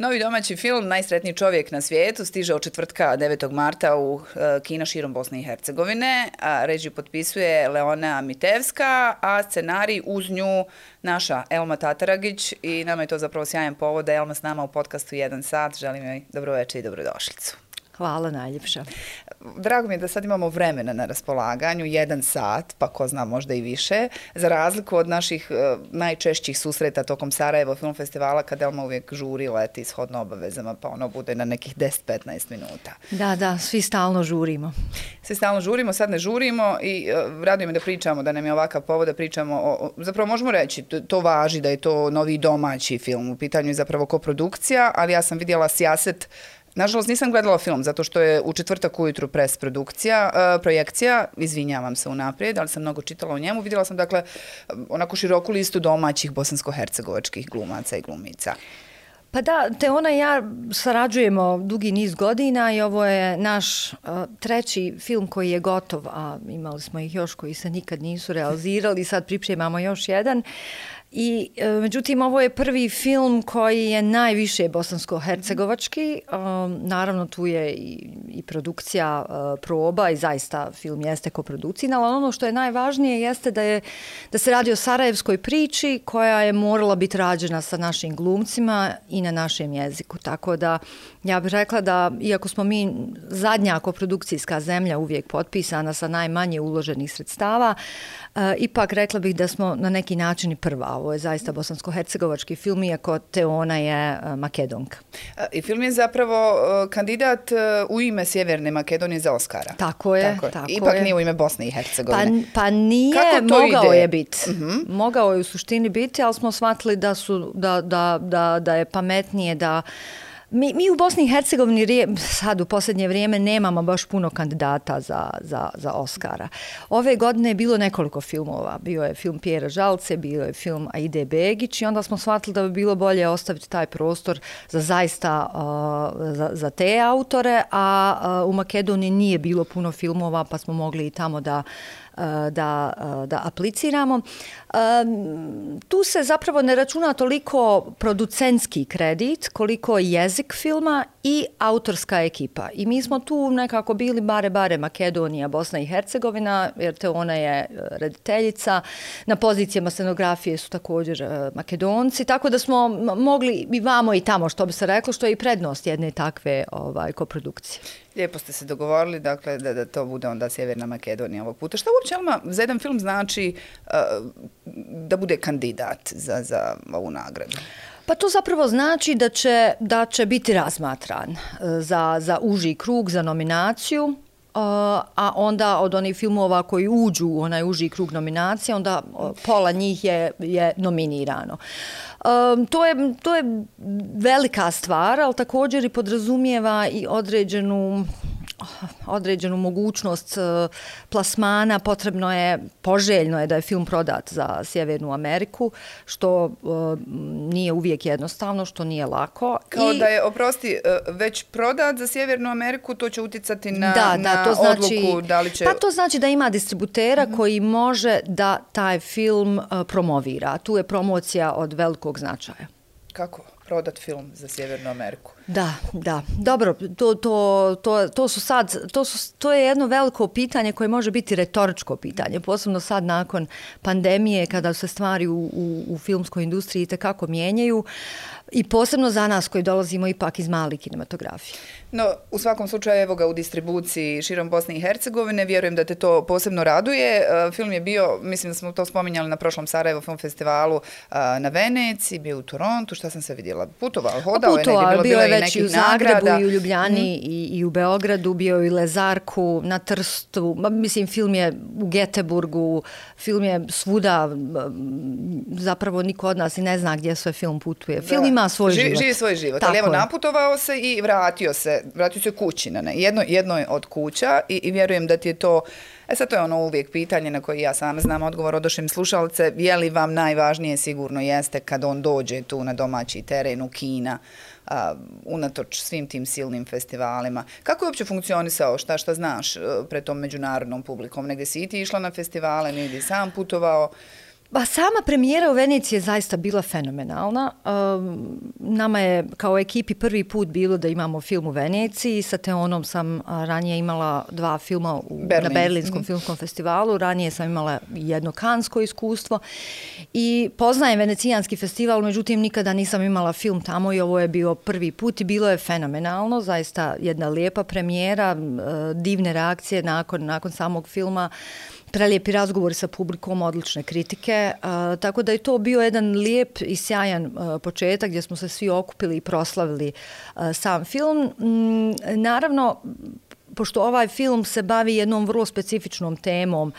Novi domaći film Najsretniji čovjek na svijetu stiže od četvrtka 9. marta u kina širom Bosne i Hercegovine. Režiju potpisuje Leona Mitevska, a scenarij uz nju naša Elma Tataragić i nama je to zapravo sjajan povod da je Elma s nama u podcastu 1 sat. Želim joj dobroveče i dobrodošlicu. Hvala najljepša. Drago mi je da sad imamo vremena na raspolaganju, 1 sat, pa ko zna možda i više, za razliku od naših najčešćih susreta tokom Sarajevo Film Festivala, kada Elma uvijek žuri, leti shodno obavezama, pa ono bude na nekih 10-15 minuta. Da, svi stalno žurimo. Svi stalno žurimo, sad ne žurimo i raduje me da pričamo, da nam je ovakav povod da pričamo zapravo možemo reći, to važi da je to novi domaći film, u pitanju je zapravo koprodukcija, ali ja sam vidjela Sijaset. Nažalost, nisam gledala film, zato što je u četvrtak ujutru projekcija, izvinjavam se unaprijed, ali sam mnogo čitala o njemu. Vidjela sam, dakle, onako široku listu domaćih bosansko-hercegovačkih glumaca i glumica. Pa da, Teona i ja sarađujemo dugi niz godina i ovo je naš treći film koji je gotov, a imali smo ih još koji se nikad nisu realizirali, sad pripremamo još jedan. I međutim, ovo je prvi film koji je najviše bosansko-hercegovački. Naravno, tu je i produkcija proba i zaista film jeste koprodukcijna, ali ono što je najvažnije jeste da se radi o sarajevskoj priči koja je morala biti rađena sa našim glumcima i na našem jeziku. Tako da ja bih rekla da, iako smo mi zadnja koprodukcijska zemlja uvijek potpisana sa najmanje uloženih sredstava, ipak rekla bih da smo na neki način i prva. Ovo je zaista bosansko-hercegovački film, iako Teona je Makedonka. I film je zapravo kandidat u ime Sjeverne Makedonije za Oskara. Tako je. Ipak nije u ime Bosne i Hercegovine. Pa nije, mogao je biti. Mogao je u suštini biti, ali smo shvatili da je pametnije da... Mi u Bosni i Hercegovini sad u posljednje vrijeme nemamo baš puno kandidata za Oskara. Ove godine je bilo nekoliko filmova. Bio je film Pjera Žalce, bio je film Aide Begić i onda smo shvatili da bi bilo bolje ostaviti taj prostor za te autore, a u Makedoniji nije bilo puno filmova pa smo mogli i tamo da apliciramo. Tu se zapravo ne računa toliko producentski kredit koliko jezik filma i autorska ekipa. I mi smo tu nekako bili bare Makedonija, Bosna i Hercegovina, jer Teona je rediteljica. Na pozicijama scenografije su također Makedonci, tako da smo mogli i vamo i tamo, što bi se reklo, što je i prednost jedne takve koprodukcije. Lijepo ste se dogovorili, dakle, da to bude onda Sjeverna Makedonija ovog puta. Šta uopće, Elma, za jedan film znači da bude kandidat za ovu nagradu? Pa to zapravo znači da će biti razmatran za uži krug, za nominaciju, a onda od onih filmova koji uđu u onaj uži krug nominacije, onda pola njih je nominirano. To je velika stvar, ali također i podrazumijeva i određenu mogućnost plasmana. Poželjno je da je film prodat za Sjevernu Ameriku, što nije uvijek jednostavno, što nije lako. Kao da je, već prodat za Sjevernu Ameriku, to će utjecati na odluku da li će... Pa to znači da ima distributera koji može da taj film promovira. Tu je promocija od velikog značaja. Kako prodat film za Sjevernu Ameriku? Da. Dobro, to je jedno veliko pitanje koje može biti retoričko pitanje, posebno sad nakon pandemije kada se stvari u filmskoj industriji itekako mijenjaju i posebno za nas koji dolazimo ipak iz male kinematografije. No, u svakom slučaju, evo ga u distribuciji širom Bosne i Hercegovine, vjerujem da te to posebno raduje. Film je bio, mislim da smo to spominjali na prošlom Sarajevo Film Festivalu, na Veneciji, bio u Torontu, šta sam se vidjela, putovao, hodao je negdje, bilo je već i u Zagrebu i u Ljubljani i u Beogradu, bio je i u Lezarku, na Trstu, mislim film je u Geteburgu, film je svuda, zapravo niko od nas i ne zna gdje sve film putuje. Film ima svoj život. Živi svoj život, ali evo naputovao se i vratio se kući na jednoj od kuća i vjerujem da ti je to, sad to je ono uvijek pitanje na koje ja sam znam odgovor od našim slušalce, je li vam najvažnije sigurno jeste kad on dođe tu na domaći teren u kina, unatoč svim tim silnim festivalima. Kako je uopće funkcionisao, šta znaš pred tom međunarodnom publikom? Negdje si i ti išla na festivale, negdje sam putovao? Pa sama premijera u Veneciji je zaista bila fenomenalna. Nama je kao ekipi prvi put bilo da imamo film u Veneciji. Sa Teonom sam ranije imala 2 filma na Berlinskom filmskom festivalu. Ranije sam imala jedno kansko iskustvo. I poznajem Venecijanski festival, međutim nikada nisam imala film tamo i ovo je bio prvi put i bilo je fenomenalno. Zaista jedna lijepa premijera, divne reakcije nakon samog filma. Prelijepi razgovori sa publikom, odlične kritike, tako da je to bio jedan lijep i sjajan početak gdje smo se svi okupili i proslavili sam film. Naravno, pošto ovaj film se bavi jednom vrlo specifičnom temom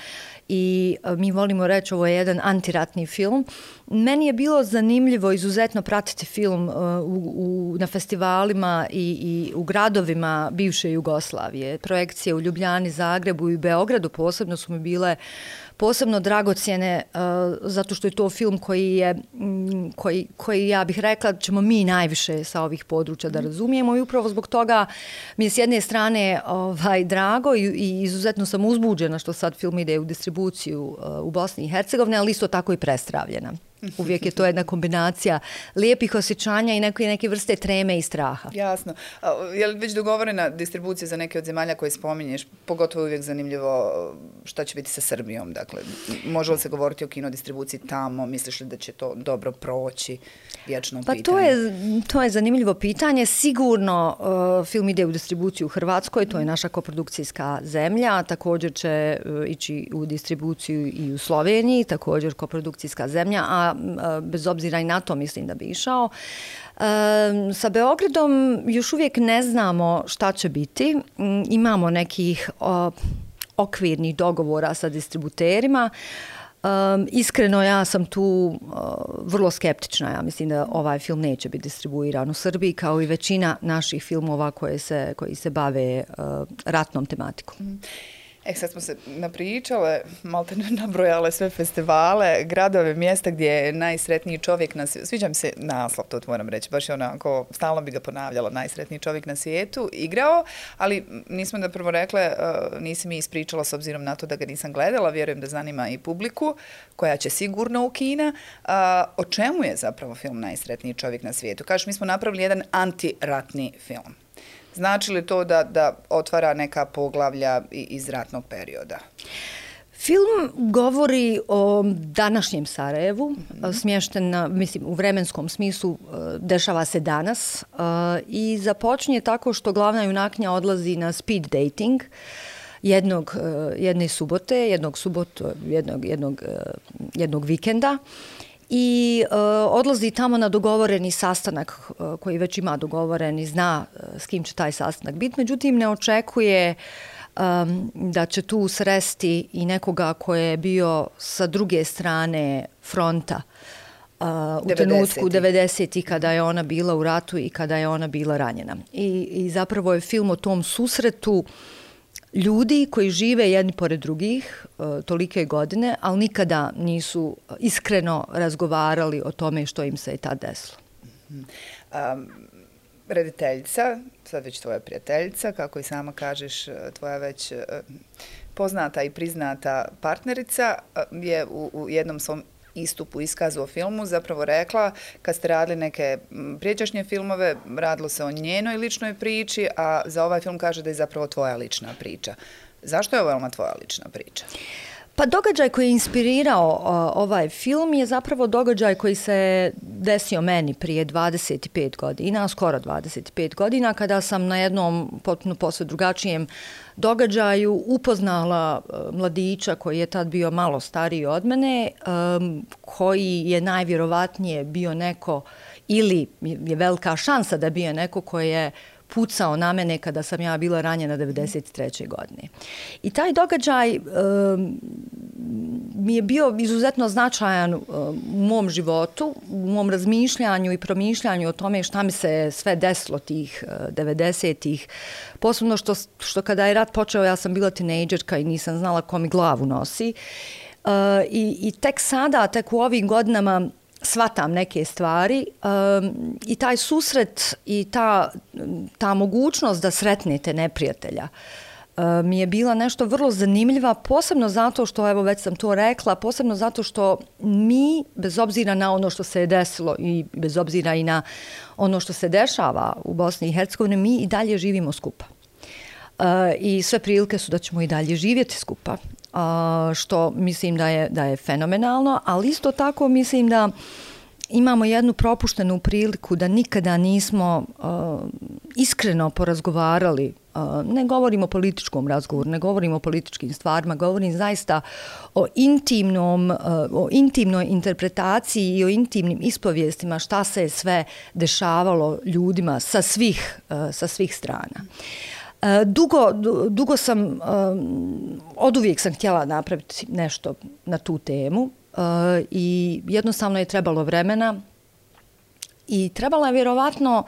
i mi volimo reći ovo je jedan antiratni film, meni je bilo zanimljivo izuzetno pratiti film na festivalima i u gradovima bivše Jugoslavije. Projekcije u Ljubljani, Zagrebu i Beogradu posebno su mi bile posebno dragocjene zato što je to film koji ja bih rekla ćemo mi najviše sa ovih područja da razumijemo i upravo zbog toga mi je s jedne strane drago i izuzetno sam uzbuđena što sad film ide u distribuciju u Bosni i Hercegovini, ali isto tako i prestravljena. Uvijek je to jedna kombinacija lijepih osjećanja i neke vrste treme i straha. Jasno. Je li već dogovorena distribucija za neke od zemalja koje spominješ? Pogotovo je uvijek zanimljivo šta će biti sa Srbijom. Dakle, može li se govoriti o kinodistribuciji tamo? Misliš li da će to dobro proći? Vječno pitanje. Pa to je zanimljivo pitanje. Sigurno film ide u distribuciju u Hrvatskoj, to je naša koprodukcijska zemlja. Također će ići u distribuciju i u Sloveniji, također koprodukcijska zemlja, a bez obzira i na to mislim da bi išao. Sa Beogradom još uvijek ne znamo šta će biti. Imamo nekih okvirnih dogovora sa distributerima. Iskreno ja sam tu vrlo skeptična. Ja mislim da ovaj film neće biti distribuiran u Srbiji kao i većina naših filmova koji se bave ratnom tematikom. Sad smo se napričale, malte nabrojale sve festivale, gradove, mjesta gdje je najsretniji čovjek na svijetu. Sviđa mi se naslov, to moram reći, baš je onako, stalno bi ga ponavljala, najsretniji čovjek na svijetu, igrao, ali nismo da prvo rekle, nisi mi ispričala s obzirom na to da ga nisam gledala, vjerujem da zanima i publiku, koja će sigurno u kina. O čemu je zapravo film Najsretniji čovjek na svijetu? Kažeš, mi smo napravili jedan antiratni film. Znači li to da otvara neka poglavlja iz ratnog perioda? Film govori o današnjem Sarajevu, smješten u vremenskom smislu, dešava se danas i započinje tako što glavna junakinja odlazi na speed dating jedne subote, jednog vikenda. I odlazi tamo na dogovoreni sastanak koji već ima dogovoren i zna s kim će taj sastanak biti. Međutim, ne očekuje da će tu sresti i nekoga koji je bio sa druge strane fronta u trenutku 90-ih kada je ona bila u ratu i kada je ona bila ranjena. I zapravo je film o tom susretu ljudi koji žive jedni pored drugih tolike godine, ali nikada nisu iskreno razgovarali o tome što im se je tad desilo. Rediteljica, sad već tvoja prijateljica, kako i sama kažeš, tvoja već poznata i priznata partnerica, je u jednom svom istupu, iskazu o filmu zapravo rekla, kad ste radili neke prijeđašnje filmove, radilo se o njenoj ličnoj priči, a za ovaj film kaže da je zapravo tvoja lična priča. Zašto je ovo tvoja lična priča? Pa događaj koji je inspirirao ovaj film je zapravo događaj koji se desio meni prije 25 godina, skoro 25 godina, kada sam na jednom potpuno posve drugačijem događaju upoznala mladića koji je tad bio malo stariji od mene, koji je najvjerovatnije bio neko, ili je velika šansa da bio neko koji je pucao na mene kada sam ja bila ranjena 93. godine. I taj događaj mi je bio izuzetno značajan u mom životu, u mom razmišljanju i promišljanju o tome šta mi se sve desilo tih 90-ih. Posebno što kada je rat počeo, ja sam bila tinejdžerka i nisam znala ko mi glavu nosi. I tek sada, tek u ovim godinama shvatam neke stvari i taj susret i ta mogućnost da sretnete neprijatelja mi je bila nešto vrlo zanimljiva, posebno zato što, evo već sam to rekla, posebno zato što mi, bez obzira na ono što se je desilo i bez obzira i na ono što se dešava u Bosni i Hercegovini, mi i dalje živimo skupa. I sve prilike su da ćemo i dalje živjeti skupa, što mislim da je fenomenalno, ali isto tako mislim da imamo jednu propuštenu priliku da nikada nismo iskreno porazgovarali. Ne govorim o političkom razgovoru, ne govorim o političkim stvarima, govorim zaista o intimnoj interpretaciji i o intimnim ispovijestima šta se je sve dešavalo ljudima sa svih strana. Dugo sam, oduvijek sam htjela napraviti nešto na tu temu i jednostavno je trebalo vremena i trebala je vjerovatno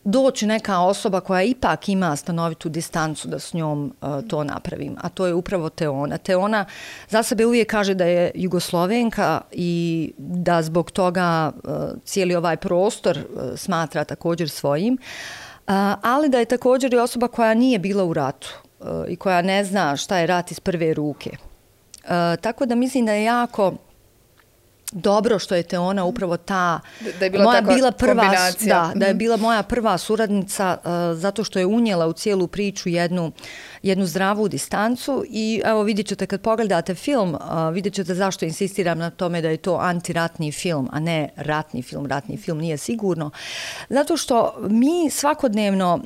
doći neka osoba koja ipak ima stanovitu distancu da s njom to napravim, a to je upravo Teona. Teona za sebe uvijek kaže da je Jugoslovenka i da zbog toga cijeli ovaj prostor smatra također svojim, ali da je također i osoba koja nije bila u ratu i koja ne zna šta je rat iz prve ruke. Tako da mislim da je jako dobro što je Teona upravo ta da je bila da je bila moja prva suradnica zato što je unijela u cijelu priču jednu zdravu distancu i evo vidjet ćete kad pogledate film, vidjet ćete zašto insistiram na tome da je to antiratni film, a ne ratni film. Ratni film nije sigurno. Zato što mi svakodnevno,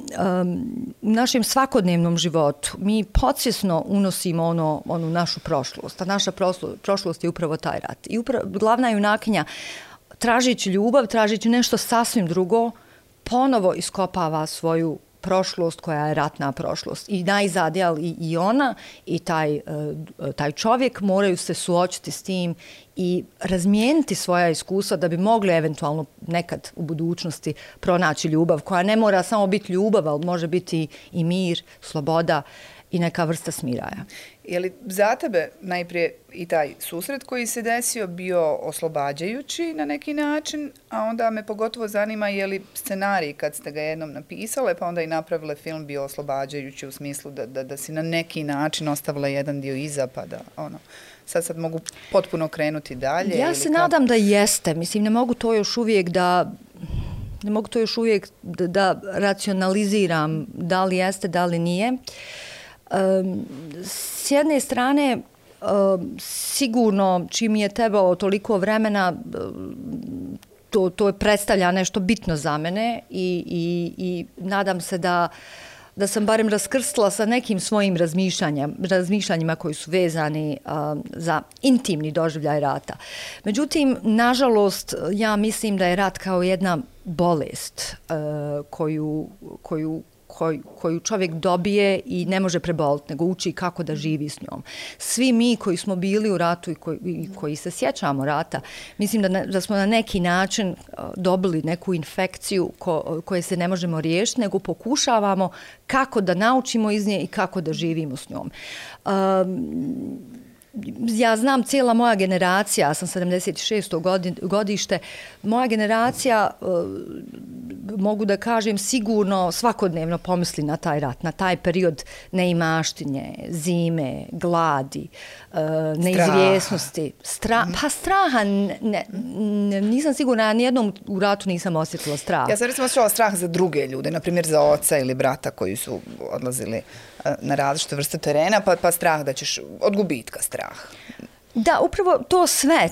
u našem svakodnevnom životu, mi podsvjesno unosimo onu našu prošlost. A naša prošlost je upravo taj rat. I glavna junakinja, tražeći ljubav, tražeći nešto sasvim drugo, ponovo iskopava svoju prošlost koja je ratna prošlost. I najzad, i ona i taj čovjek moraju se suočiti s tim i razmijeniti svoja iskustva da bi mogli eventualno nekad u budućnosti pronaći ljubav koja ne mora samo biti ljubav, ali može biti i mir, sloboda i neka vrsta smiraja. Je li za tebe najprije i taj susret koji se desio bio oslobađajući na neki način, a onda me pogotovo zanima je li scenarij kad ste ga jednom napisale pa onda i napravile film bio oslobađajući u smislu da si na neki način ostavila jedan dio iza pa da sad mogu potpuno krenuti dalje? Ja se nadam da jeste. Mislim, ne mogu to još uvijek da racionaliziram da li jeste, da li nije. S jedne strane, sigurno čim je trebalo toliko vremena, to predstavlja nešto bitno za mene i nadam se da sam barem raskrstila sa nekim svojim razmišljanjima koji su vezani za intimni doživljaj rata. Međutim, nažalost, ja mislim da je rat kao jedna bolest koju čovjek dobije i ne može preboliti, nego uči kako da živi s njom. Svi mi koji smo bili u ratu i koji se sjećamo rata, mislim da smo na neki način dobili neku infekciju koje se ne možemo riješiti, nego pokušavamo kako da naučimo iz nje i kako da živimo s njom. Ja znam, cijela moja generacija, ja sam 76. godište, moja generacija, mogu da kažem, sigurno svakodnevno pomisli na taj rat, na taj period neimaštinje, zime, gladi, neizvjesnosti. Pa straha, nisam sigurna, ja nijednom u ratu nisam osjetila strah. Ja sam recimo osjećala strah za druge ljude, na primjer za oca ili brata koji su odlazili na različite vrste terena, pa strah da ćeš, od gubitka strah. Da, upravo to sve,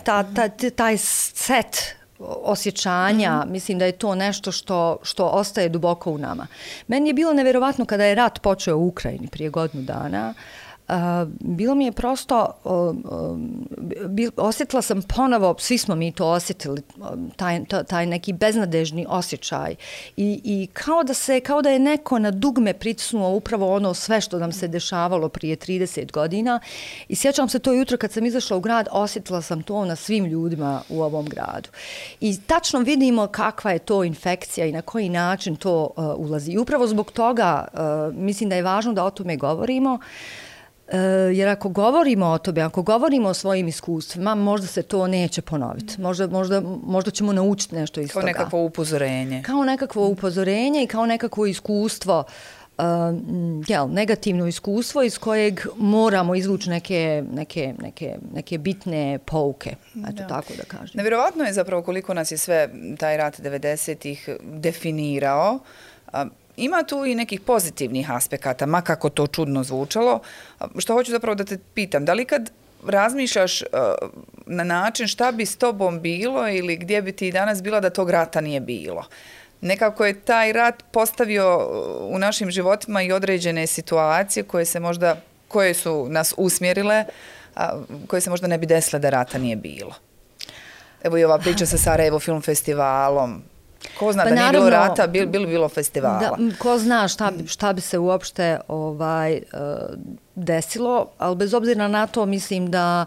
taj set osjećanja, mislim da je to nešto što ostaje duboko u nama. Meni je bilo nevjerovatno kada je rat počeo u Ukrajini prije godinu dana. Bilo mi je prosto, osjetila sam ponovo, svi smo mi to osjetili, taj neki beznadežni osjećaj i kao da je neko na dugme pritisnuo upravo ono sve što nam se dešavalo prije 30 godina i sjećam se to jutro kad sam izašla u grad, osjetila sam to na svim ljudima u ovom gradu. I tačno vidimo kakva je to infekcija i na koji način to ulazi. I upravo zbog toga mislim da je važno da o tome govorimo. Jer ako govorimo o tome, ako govorimo o svojim iskustvima, možda se to neće ponoviti. Možda ćemo naučiti nešto iz toga. Kao nekakvo upozorenje. Kao nekakvo upozorenje i kao nekakvo iskustvo negativno iskustvo iz kojeg moramo izvući neke bitne pouke, eto tako da kažem. Nevjerovatno je zapravo koliko nas je sve taj rat 90-ih definirao. Ima tu i nekih pozitivnih aspekata, ma kako to čudno zvučalo. Što hoću zapravo da te pitam, da li kad razmišljaš na način šta bi s tobom bilo ili gdje bi ti danas bila da tog rata nije bilo? Nekako je taj rat postavio u našim životima i određene situacije koje su nas usmjerile, koje se možda ne bi desile da rata nije bilo. Evo i ova priča sa Sarajevo film festivalom. Ko zna da nije bilo rata, bilo festivala. Ko zna šta bi se uopšte desilo, ali bez obzira na to mislim da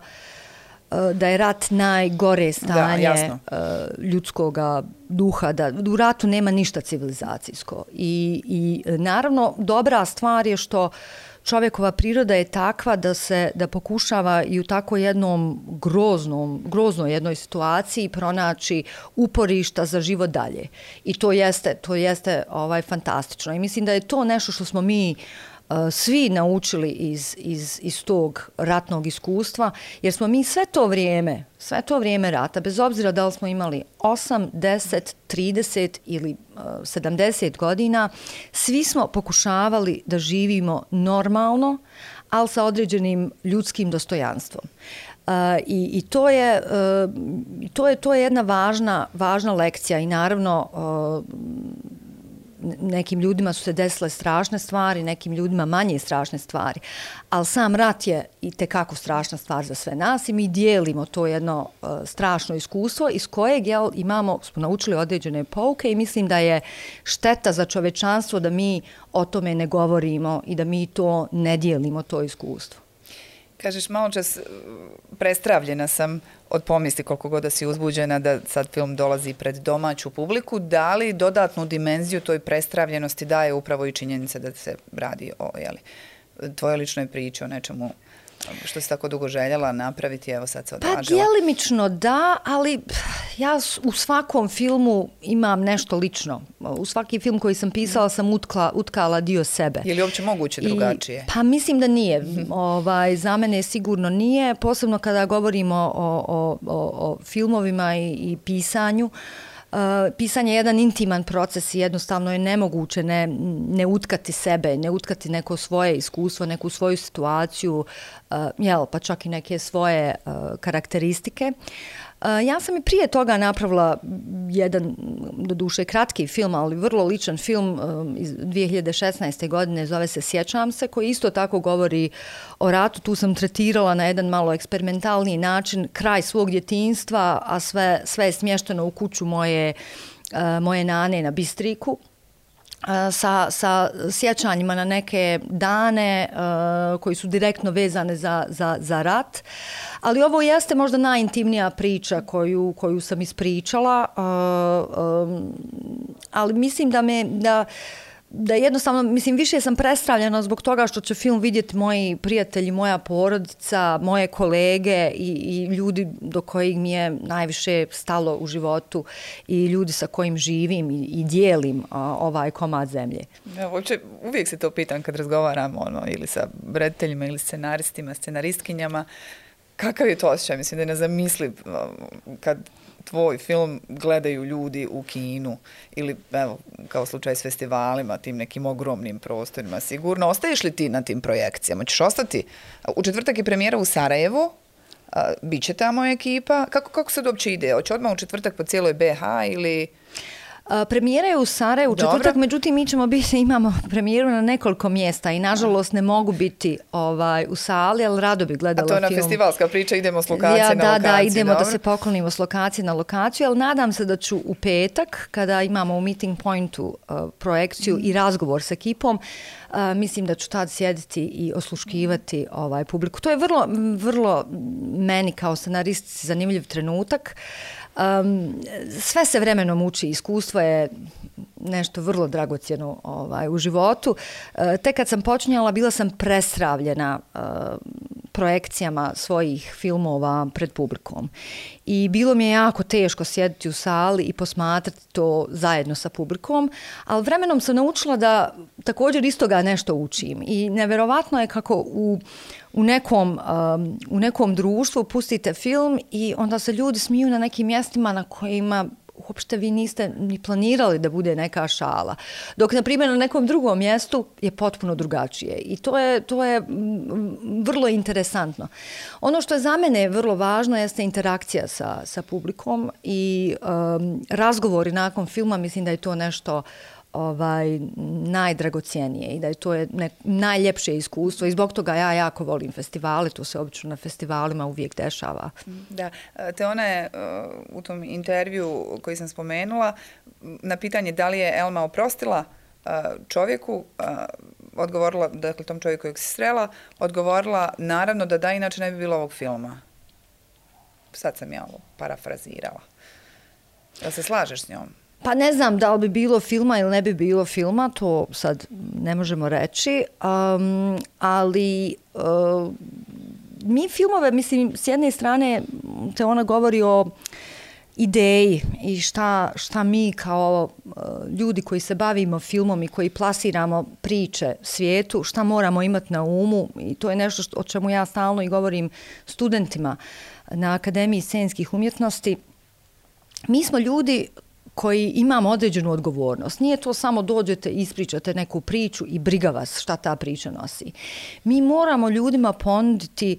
je rat najgore stanje ljudskog duha, da u ratu nema ništa civilizacijsko. I naravno dobra stvar je što čovjekova priroda je takva da pokušava i u tako jednom groznoj jednoj situaciji pronaći uporišta za život dalje. I to jeste fantastično. I mislim da je to nešto što smo mi svi naučili iz tog ratnog iskustva, jer smo mi sve to vrijeme rata, bez obzira da li smo imali 8, 10, 30 ili 70 godina, svi smo pokušavali da živimo normalno, ali sa određenim ljudskim dostojanstvom. I to je jedna važna lekcija i naravno nekim ljudima su se desile strašne stvari, nekim ljudima manje strašne stvari, ali sam rat je i tekako strašna stvar za sve nas i mi dijelimo to jedno strašno iskustvo iz kojeg smo naučili određene pouke i mislim da je šteta za čovečanstvo da mi o tome ne govorimo i da mi to ne dijelimo, to iskustvo. Kažeš, malo čas prestravljena sam od pomisli koliko god da si uzbuđena da sad film dolazi pred domaću publiku. Da li dodatnu dimenziju toj prestravljenosti daje upravo i činjenica da se radi o tvojoj ličnoj priči, o nečemu što si tako dugo željela napraviti, evo sad se odvažila? Pa djelimično da, ali ja u svakom filmu imam nešto lično. U svaki film koji sam pisala sam utkala dio sebe. Je li uopće moguće drugačije? Pa mislim da nije. Za mene sigurno nije, posebno kada govorimo o filmovima i pisanju. Pisanje je jedan intiman proces i jednostavno je nemoguće ne utkati sebe, ne utkati neko svoje iskustvo, neku svoju situaciju, pa čak i neke svoje karakteristike. Ja sam i prije toga napravila jedan, doduše kratki film, ali vrlo ličan film iz 2016. godine, zove se Sjećam se, koji isto tako govori o ratu. Tu sam tretirala na jedan malo eksperimentalniji način kraj svog djetinjstva, a sve je smješteno u kuću moje nane na Bistriku. Sa sjećanjima na neke dane koji su direktno vezane za rat. Ali ovo jeste možda najintimnija priča koju sam ispričala, ali mislim da jednostavno, mislim, više sam prestravljena zbog toga što će film vidjeti moji prijatelji, moja porodica, moje kolege i ljudi do kojih mi je najviše stalo u životu i ljudi sa kojim živim i dijelim ovaj komad zemlje. Ja, uvijek se to pitam kad razgovaram ili sa rediteljima ili scenaristima, scenaristkinjama. Kakav je to osjećaj? Mislim da je nezamisliv kad tvoj film gledaju ljudi u kinu ili, evo, kao slučaj s festivalima, tim nekim ogromnim prostorima. Sigurno, ostaješ li ti na tim projekcijama? Ćeš ostati? U četvrtak je premijera u Sarajevu, bit će tamo ekipa. Kako se uopće ide? Hoće odmah u četvrtak po cijeloj BH ili... Premijera je u Sarajevu u četvrtak, međutim imamo premijeru na nekoliko mjesta i nažalost ne mogu biti u sali, ali rado bi gledala film. A to je na festivalska priča, idemo s lokacije na lokaciju. Da, idemo da se poklonimo s lokacije na lokaciju, ali nadam se da ću u petak, kada imamo u Meeting Pointu projekciju i razgovor s ekipom, mislim da ću tad sjediti i osluškivati publiku. To je vrlo meni kao scenaristici zanimljiv trenutak. Sve se vremenom uči, iskustvo je nešto vrlo dragocjeno u životu. Tek kad sam počinjala, bila sam prestravljena projekcijama svojih filmova pred publikom. I bilo mi je jako teško sjediti u sali i posmatrati to zajedno sa publikom, ali vremenom sam naučila da također iz toga nešto učim. I neverovatno je kako u nekom društvu pustite film i onda se ljudi smiju na nekim mjestima na kojima uopšte vi niste ni planirali da bude neka šala. Dok, na primjer, na nekom drugom mjestu je potpuno drugačije. I to je vrlo interesantno. Ono što je za mene vrlo važno jeste interakcija sa publikom i razgovori nakon filma, mislim da je to nešto najdragocijenije i da je to najljepše iskustvo i zbog toga ja jako volim festivale, to se obično na festivalima uvijek dešava. Da, te ona je u tom intervju koji sam spomenula, na pitanje da li je Elma oprostila čovjeku, odgovorila, dakle tom čovjeku kojeg se srela, odgovorila naravno da inače ne bi bilo ovog filma. Sad sam ja ovo parafrazirala. Da se slažeš s njom? Pa ne znam da li bi bilo filma ili ne bi bilo filma, to sad ne možemo reći, ali mi filmove, mislim, s jedne strane te ona govori o ideji i šta mi kao ljudi koji se bavimo filmom i koji plasiramo priče svijetu, šta moramo imati na umu i to je nešto o čemu ja stalno i govorim studentima na Akademiji scenskih umjetnosti. Mi smo ljudi koji imamo određenu odgovornost. Nije to samo dođete, ispričate neku priču i briga vas šta ta priča nosi. Mi moramo ljudima ponuditi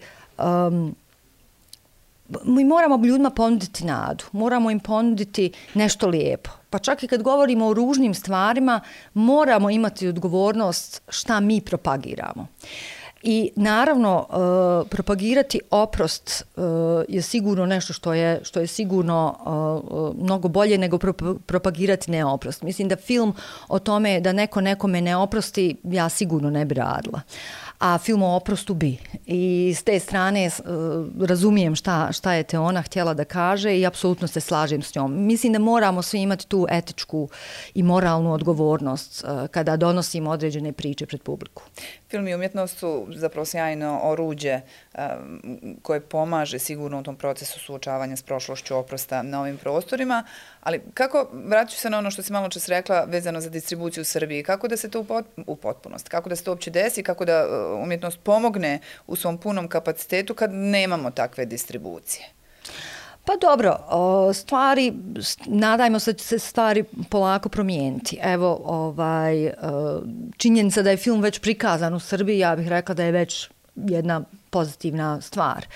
nadu, moramo im ponuditi nešto lijepo. Pa čak i kad govorimo o ružnim stvarima, moramo imati odgovornost šta mi propagiramo. I naravno, propagirati oprost je sigurno nešto što je sigurno mnogo bolje nego propagirati neoprost. Mislim da film o tome da neko nekome ne oprosti, ja sigurno ne bi radila. A film o oprostu bi. I s te strane razumijem šta je te ona htjela da kaže i apsolutno se slažem s njom. Mislim da moramo svi imati tu etičku i moralnu odgovornost kada donosimo određene priče pred publiku. Film i umjetnost su zapravo sjajno oruđe koje pomaže sigurno u tom procesu suočavanja s prošlošću, oprosta na ovim prostorima, ali kako, vraću se na ono što si malo čas rekla vezano za distribuciju u Srbiji, kako da se to u potpunosti, kako da se to uopće desi, kako da umjetnost pomogne u svom punom kapacitetu kad nemamo takve distribucije? Pa dobro, nadajmo se da će se stvari polako promijeniti. Evo, činjenica da je film već prikazan u Srbiji, ja bih rekla da je već jedna pozitivna stvar.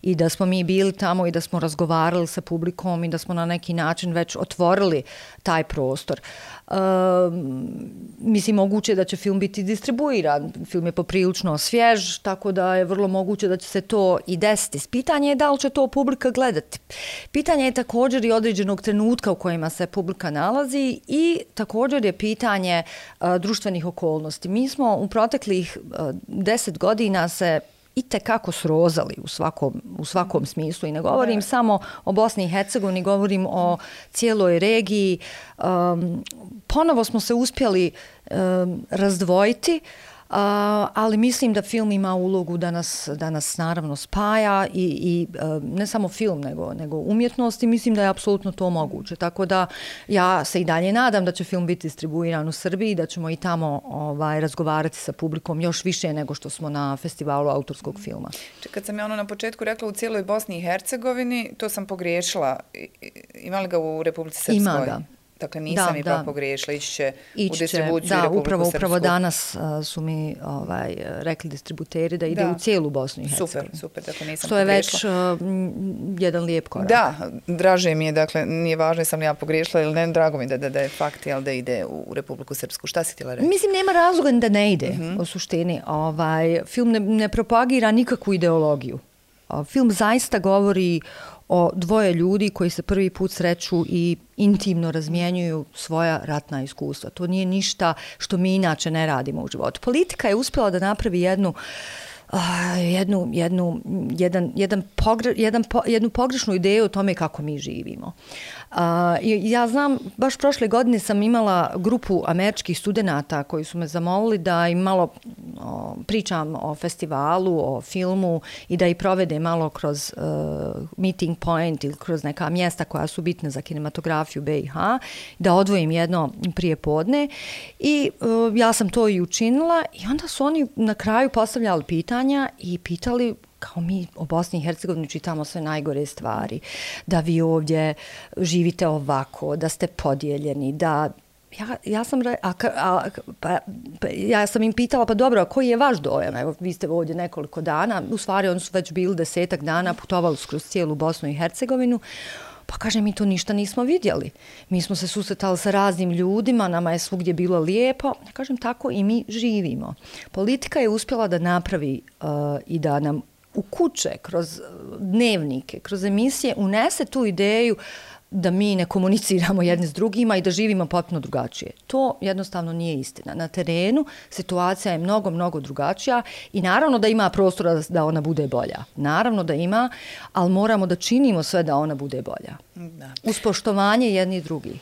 I da smo mi bili tamo i da smo razgovarali sa publikom i da smo na neki način već otvorili taj prostor. Mislim, moguće da će film biti distribuiran. Film je poprilično svjež, tako da je vrlo moguće da će se to i desiti. Pitanje je da li će to publika gledati. Pitanje je također i određenog trenutka u kojima se publika nalazi i također je pitanje društvenih okolnosti. Mi smo u proteklih 10 godina se itekako srozali u svakom smislu i ne govorim samo o Bosni i Hercegovini, govorim o cijeloj regiji. Ponovo smo se uspjeli razdvojiti, ali mislim da film ima ulogu da nas naravno spaja i ne samo film nego umjetnost i mislim da je apsolutno to moguće. Tako da ja se i dalje nadam da će film biti distribuiran u Srbiji i da ćemo i tamo razgovarati sa publikom još više nego što smo na festivalu autorskog filma. Kad sam ja na početku rekla u cijeloj Bosni i Hercegovini, to sam pogriješila. Ima li ga u Republici Srpskoj? Ima ga. Dakle, nisam ipak pogriješila, ići će u distribuciju Republiku Srpsku. Upravo danas su mi rekli distributeri da ide u cijelu Bosnu i Hercegovinu. Super, dakle nisam što je već jedan lijep korak. Da, draže mi je, dakle, nije važno sam li ja pogriješila ili ne, drago mi da je fakt da ide u Republiku Srpsku. Šta si htjela reći? Mislim, nema razloga da ne ide u suštini. Film ne propagira nikakvu ideologiju. Film zaista govori o dvoje ljudi koji se prvi put sreću i intimno razmjenjuju svoja ratna iskustva. To nije ništa što mi inače ne radimo u životu. Politika je uspjela da napravi jednu jednu pogrešnu ideju o tome kako mi živimo. Ja znam, baš prošle godine sam imala grupu američkih studenata koji su me zamolili da im malo pričam o festivalu, o filmu i da ih provede malo kroz meeting point ili kroz neka mjesta koja su bitne za kinematografiju BiH, da odvojim jedno prijepodne i ja sam to i učinila i onda su oni na kraju postavljali pitanja i pitali kao mi o Bosni i Hercegovini čitamo sve najgore stvari, da vi ovdje živite ovako, da ste podijeljeni, da ja sam im pitala, pa dobro, a koji je vaš dojam? Evo, vi ste ovdje nekoliko dana, u stvari oni su već bili 10 dana, putovali kroz cijelu Bosnu i Hercegovinu, pa kaže, mi to ništa nismo vidjeli. Mi smo se susretali sa raznim ljudima, nama je svugdje bilo lijepo. Ja kažem, tako i mi živimo. Politika je uspjela da napravi i da nam u kuće, kroz dnevnike, kroz emisije unese tu ideju da mi ne komuniciramo jedni s drugima i da živimo potpuno drugačije. To jednostavno nije istina. Na terenu situacija je mnogo, mnogo drugačija i naravno da ima prostora da ona bude bolja. Naravno da ima, ali moramo da činimo sve da ona bude bolja. Da. Uz poštovanje jedni i drugi.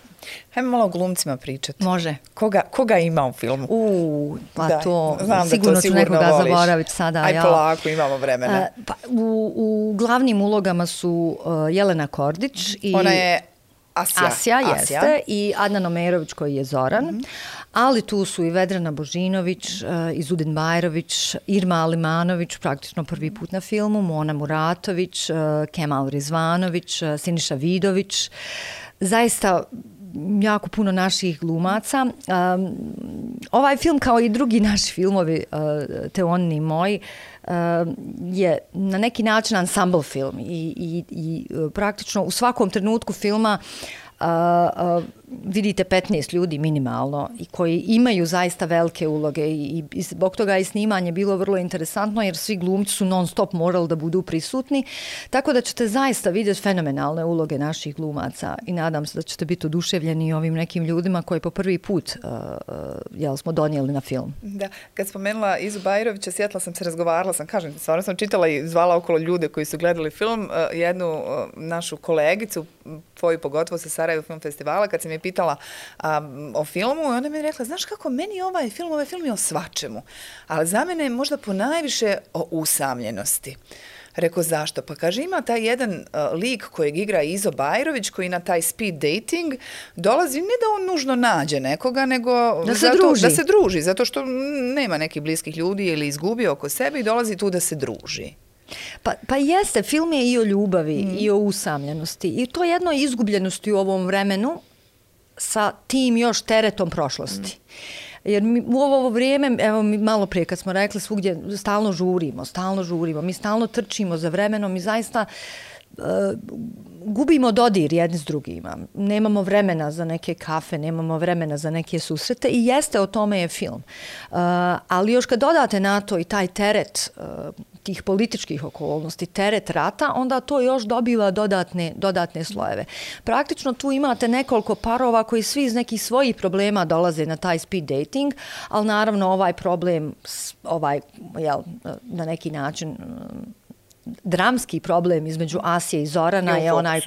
Hajmo malo o glumcima pričati. Može. Koga ima u filmu? Pa da, to sigurno ću nekoga zaboraviti sada. Aj polako, imamo vremena. U glavnim ulogama su Jelena Kordić. Ona je Asja, jeste. I Adnan Omerović koji je Zoran. Ali tu su i Vedrana Božinović, Izudin Bajrović, Irma Alimanović, praktično prvi put na filmu, Mona Muratović, Kemal Rizvanović, Siniša Vidović. Zaista jako puno naših glumaca. Ovaj film, kao i drugi naši filmovi, Teonini i moji, je na neki način ensemble film i praktično u svakom trenutku filma vidite 15 ljudi minimalno i koji imaju zaista velike uloge i zbog toga je snimanje bilo vrlo interesantno jer svi glumci su non stop morali da budu prisutni, tako da ćete zaista vidjeti fenomenalne uloge naših glumaca i nadam se da ćete biti oduševljeni ovim nekim ljudima koji po prvi put smo donijeli na film. Da, kad spomenula Izu Bajrovića, sjetila sam se, razgovarala sam, kažem, stvarno sam čitala i zvala okolo ljude koji su gledali film, jednu našu kolegicu, tvoju pogotovo sa Sarajevo Film Festivala, kad sam je pitala o filmu, i ona mi je rekla, znaš kako, meni ovaj film je o svačemu, ali za mene je možda ponajviše o usamljenosti. Rekao, zašto? Pa kaže, ima taj jedan lik kojeg igra Izo Bajrović, koji na taj speed dating dolazi, ne da on nužno nađe nekoga, nego da se druži, zato što nema nekih bliskih ljudi ili izgubio oko sebe i dolazi tu da se druži. Pa jeste, film je i o ljubavi i o usamljenosti i to jedno izgubljenosti u ovom vremenu sa tim još teretom prošlosti. Jer u ovo vrijeme, evo mi malo prije kad smo rekli, svugdje stalno žurimo, mi stalno trčimo za vremenom i zaista gubimo dodir jedni s drugima. Nemamo vremena za neke kafe, nemamo vremena za neke susrete i jeste, o tome je film. Ali još kad dodate na to i taj teret tih političkih okolnosti, teret rata, onda to još dobiva dodatne slojeve. Praktično tu imate nekoliko parova koji svi iz nekih svojih problema dolaze na taj speed dating, ali naravno ovaj problem, na neki način dramski problem između Asije i Zorana je onaj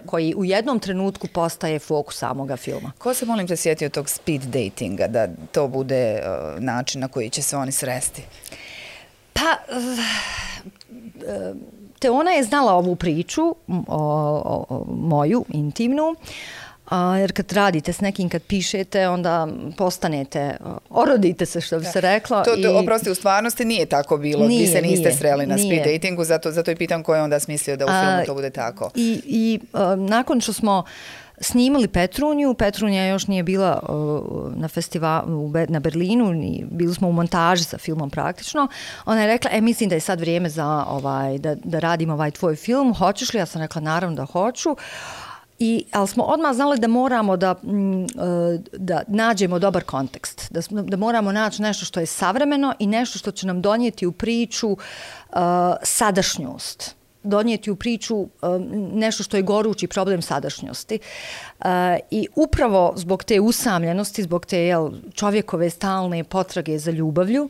koji u jednom trenutku postaje fokus samoga filma. Ko se, molim te, sjetio tog speed datinga, da to bude način na koji će se oni sresti? Pa, Teona je znala ovu priču, moju, intimnu, jer kad radite s nekim, kad pišete, onda postanete, orodite se, što bi se reklo. Oprosti, u stvarnosti nije tako bilo, vi se niste sreli na speed datingu, zato i pitam ko je onda smislio da u filmu to bude tako. I nakon što smo snimali Petrunju, Petrunja još nije bila na festivalu na Berlinu, bili smo u montaži sa filmom praktično. Ona je rekla, mislim da je sad vrijeme za da radim ovaj tvoj film, hoćeš li? Ja sam rekla, naravno da hoću. Ali smo odmah znali da moramo da nađemo dobar kontekst, da moramo naći nešto što je savremeno i nešto što će nam donijeti u priču sadašnjost. donijeti u priču nešto što je gorući problem sadašnjosti. I upravo zbog te usamljenosti, zbog te čovjekove stalne potrage za ljubavlju,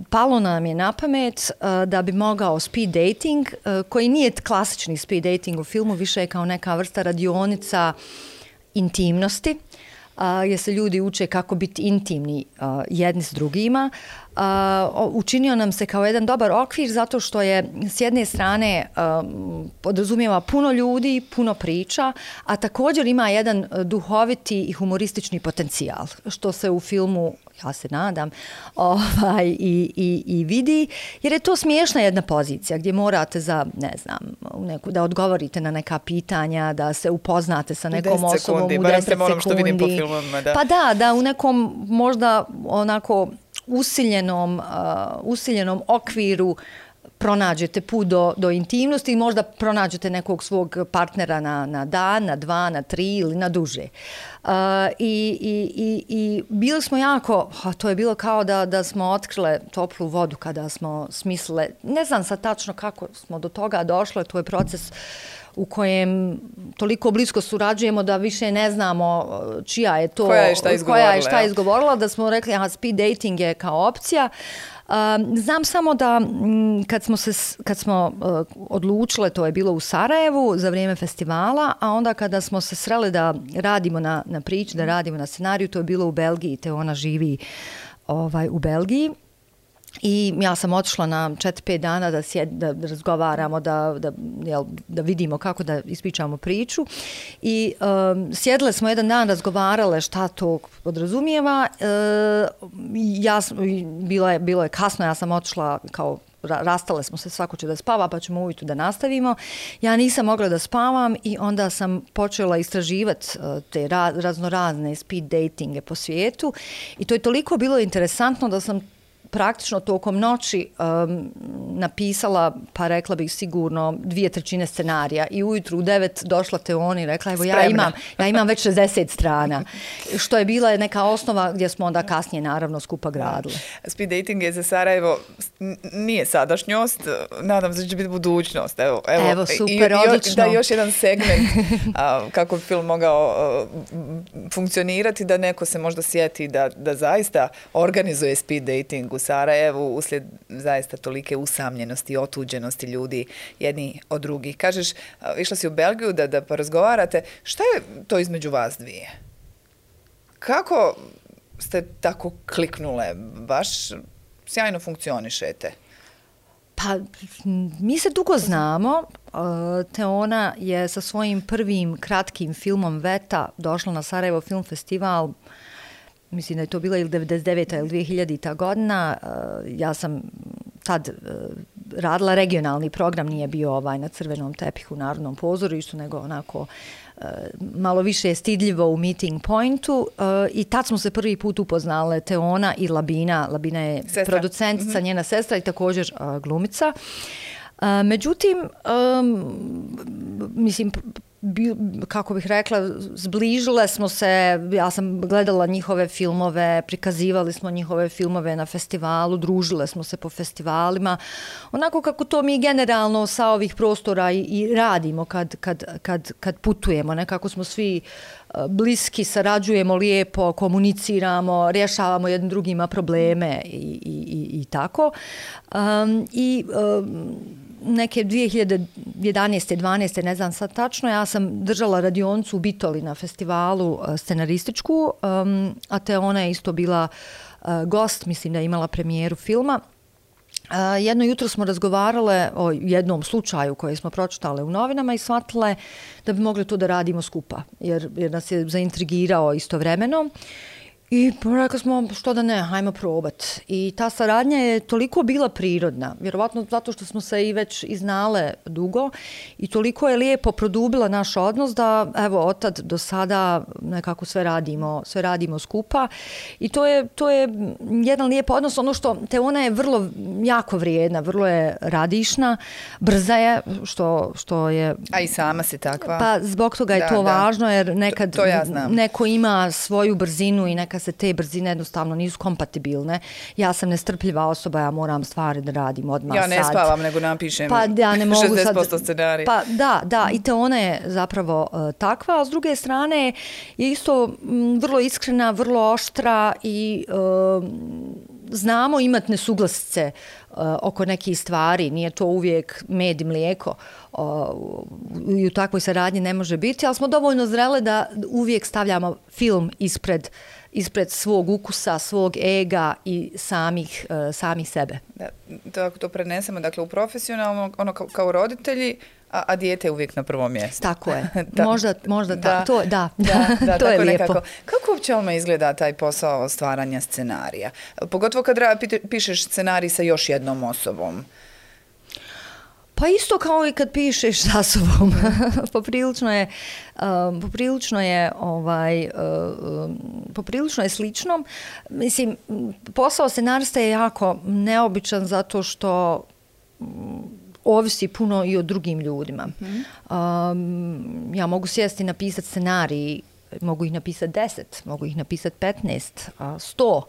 palo nam je na pamet da bi mogao speed dating, koji nije klasični speed dating u filmu, više je kao neka vrsta radionica intimnosti, gdje se ljudi uče kako biti intimni jedni s drugima. Učinio nam se kao jedan dobar okvir zato što je s jedne strane podrazumijeva puno ljudi, puno priča, a također ima jedan duhoviti i humoristični potencijal, što se u filmu, ja se nadam, i vidi, jer je to smiješna jedna pozicija gdje morate da odgovorite na neka pitanja, da se upoznate sa nekom osobom u 10 sekundi. Što vidim po filmovima, da. Pa da u nekom možda onako usiljenom okviru pronađete put do intimnosti i možda pronađete nekog svog partnera na dan, na 2, na 3 ili na duže. I bili smo jako, to je bilo kao da smo otkrile toplu vodu kada smo smislile, ne znam sad tačno kako smo do toga došle, to je proces u kojem toliko blisko surađujemo da više ne znamo čija je to, koja je šta izgovorila, da smo rekli speed dating je kao opcija. Znam samo da kad smo odlučile, to je bilo u Sarajevu za vrijeme festivala, a onda kada smo se sreli da radimo na priči, da radimo na scenariju, to je bilo u Belgiji, te ona živi u Belgiji. I ja sam otišla na 4-5 dana da razgovaramo, da vidimo kako da ispričamo priču. I sjedile smo jedan dan, razgovarale šta to podrazumijeva. Bilo je kasno, ja sam otišla kao rastale smo se, svako će da spava pa ćemo ujutro da nastavimo. Ja nisam mogla da spavam i onda sam počela istraživati te raznorazne speed datinge po svijetu i to je toliko bilo interesantno da sam praktično tokom noći napisala, pa rekla bih sigurno 2/3 scenarija i ujutru u 9 došla Teoni i rekla, evo ja imam već 60 strana, što je bila neka osnova gdje smo onda kasnije naravno skupa gradili. Speed dating je za Sarajevo nije sadašnjost, nadam se da će biti budućnost. Evo super, odlično. Da, još jedan segment kako bi film mogao funkcionirati, da neko se možda sjeti da zaista organizuje speed dating u Sarajevu uslijed zaista tolike usamljenosti i otuđenosti ljudi jedni od drugih. Kažeš, išla si u Belgiju da porazgovarate. Šta je to između vas dvije? Kako ste tako kliknule? Baš sjajno funkcionišete. Pa, mi se dugo znamo. Teona je sa svojim prvim kratkim filmom Veta došla na Sarajevo Film Festival. Mislim da je to bila ili 99. ili 2000. godina. Ja sam tad radila regionalni program, nije bio na crvenom tepihu u Narodnom pozorištu, nego onako malo više stidljivo u Meeting Pointu i tad smo se prvi put upoznale Teona i Labina. Labina je producentica, njena sestra i također glumica. Međutim, mislim, kako bih rekla, zbližile smo se, ja sam gledala njihove filmove, prikazivali smo njihove filmove na festivalu, družile smo se po festivalima, onako kako to mi generalno sa ovih prostora i radimo kad putujemo, nekako smo svi bliski, sarađujemo lijepo, komuniciramo, rješavamo jednim drugima probleme i tako. Neke 2011. 12. ne znam sad tačno, ja sam držala radionicu u Bitoli na festivalu scenarističku, a Teona je isto bila gost, mislim da je imala premijeru filma. Jedno jutro smo razgovarale o jednom slučaju koji smo pročitale u novinama i shvatile da bi mogli to da radimo skupa, jer nas je zaintrigirao istovremeno. I rekli smo, što da ne, hajmo probat. I ta saradnja je toliko bila prirodna, vjerovatno zato što smo se i već iznale dugo i toliko je lijepo produbila naš odnos da, evo, otad do sada nekako sve radimo skupa. I to je jedan lijep odnos. Ono što Teona je vrlo jako vrijedna, vrlo je radišna, brza je, što je... A i sama si takva. Pa zbog toga je to važno, jer nekad neko ima svoju brzinu i neka kad se te brzine jednostavno nisu kompatibilne. Ja sam nestrpljiva osoba, ja moram stvari da radim odmah sad. Ja ne spavam, nego napišem pa, ja ne mogu 60% scenarija. Pa da, i te ona je zapravo takva, a s druge strane je isto vrlo iskrena, vrlo oštra i znamo imati nesuglasice oko nekih stvari, nije to uvijek med i mlijeko i u takvoj saradnji ne može biti, ali smo dovoljno zrele da uvijek stavljamo film ispred svog ukusa, svog ega i samih sebe. Da, ako to prenesemo, dakle u profesionalno, ono kao roditelji, a dijete je uvijek na prvom mjestu. Tako je. Možda da. To je lijepo. Nekako. Kako uopće Alma izgleda taj posao stvaranja scenarija? Pogotovo kad pišeš scenarij sa još jednom osobom. Pa isto kao i kad pišeš sa sobom. Poprilično je slično. Mislim, posao scenarista je jako neobičan zato što ovisi puno i o drugim ljudima. Ja mogu sjesti i napisati scenarij, mogu ih napisati 10, mogu ih napisati 15, 100,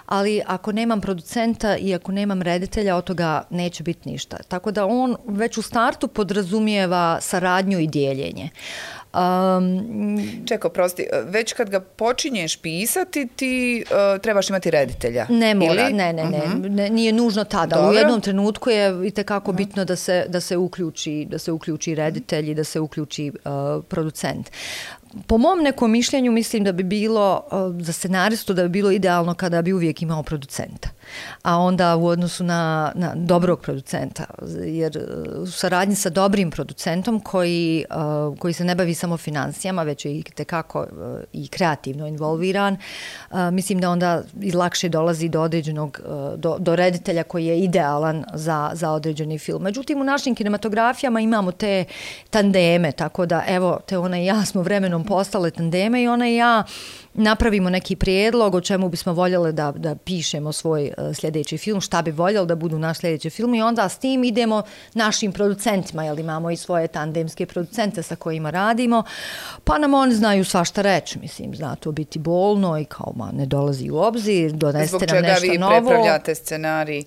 ali ako nemam producenta i ako nemam reditelja, od toga neće biti ništa. Tako da on već u startu podrazumijeva saradnju i dijeljenje. Čeko, prosti, već kad ga počinješ pisati, ti trebaš imati reditelja. Ne mora, ne, nije nužno tada. Dobro. U jednom trenutku je itekako bitno da se uključi reditelj i da se uključi producent. Po mom nekom mišljenju mislim da bi bilo za scenaristu da bi bilo idealno kada bi uvijek imao producenta. A onda u odnosu na dobrog producenta, jer u saradnji sa dobrim producentom koji se ne bavi samo financijama, već je itekako i kreativno involviran, mislim da onda i lakše dolazi do određenog, do reditelja koji je idealan za određeni film. Međutim, u našim kinematografijama imamo te tandeme, tako da evo, te ona i ja smo vremenom postale tandeme i ona i ja napravimo neki prijedlog o čemu bismo voljeli da pišemo svoj sljedeći film, šta bi voljeli da budu naš sljedeći film i onda s tim idemo našim producentima, jer imamo i svoje tandemske producente sa kojima radimo, pa nam oni znaju svašta reći, mislim, zna to biti bolno i kao ne dolazi u obzir, donesete nam nešto novo. Zbog čega vi prepravljate scenarij?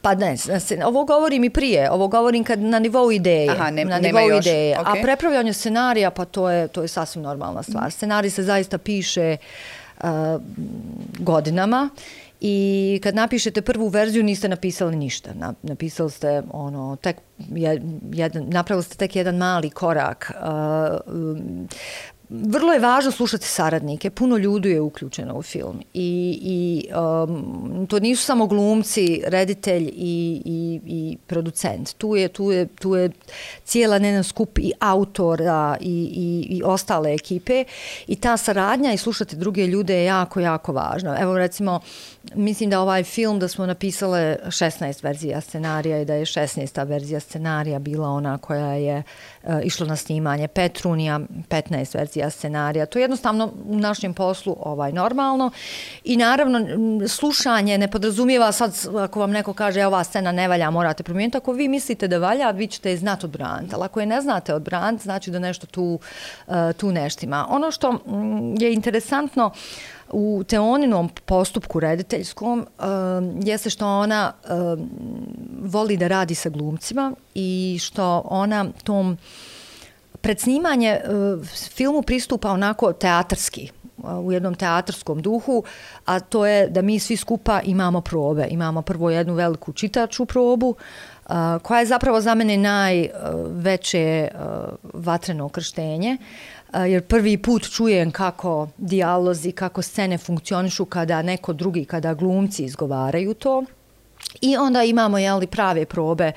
Pa ne, ovo govorim i prije, ovo govorim kad na nivou ideje. Aha, nema još. Okay. A prepravljanje scenarija, pa to je sasvim normalna stvar. Scenarij se zaista piše godinama i kad napišete prvu verziju niste napisali ništa. Napisali ste napravili ste tek jedan mali korak. Vrlo je važno slušati saradnike, puno ljudi je uključeno u film i to nisu samo glumci, reditelj i producent. Tu je cijela jedan skup i autora i ostale ekipe i ta saradnja i slušati druge ljude je jako, jako važno. Evo recimo, mislim da ovaj film da smo napisale 16 verzija scenarija i da je 16. verzija scenarija bila ona koja je išla na snimanje, Petrunija 15 verzija scenarija. To je jednostavno u našem poslu normalno i naravno slušanje ne podrazumijeva sad ako vam neko kaže ova scena ne valja, morate promijeniti. Ako vi mislite da valja, vi ćete je znati odbraniti. Ali ako je ne znate odbraniti, znači da nešto tu neštima. Ono što je interesantno u Teoninom postupku rediteljskom jeste što ona voli da radi sa glumcima i što ona tom pred snimanje filmu pristupa onako teatarski, u jednom teatarskom duhu, a to je da mi svi skupa imamo probe. Imamo prvo jednu veliku čitaču probu, koja je zapravo za mene najveće vatreno krštenje, jer prvi put čujem kako dijalozi, kako scene funkcionišu kada glumci izgovaraju to. I onda imamo prave probe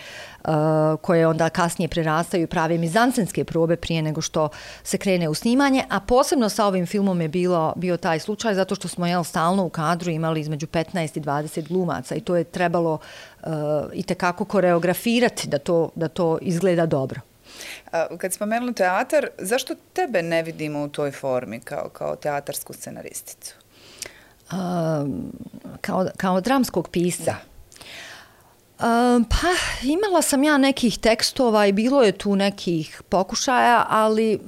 koje onda kasnije prerastaju prave mizansenske probe prije nego što se krene u snimanje, a posebno sa ovim filmom je bio taj slučaj zato što smo stalno u kadru imali između 15 i 20 glumaca i to je trebalo itekako koreografirati da to izgleda dobro. Kad spomenuli teatar, zašto tebe ne vidimo u toj formi kao teatarsku scenaristicu? Kao dramskog pisca? Da. Pa imala sam ja nekih tekstova i bilo je tu nekih pokušaja, ali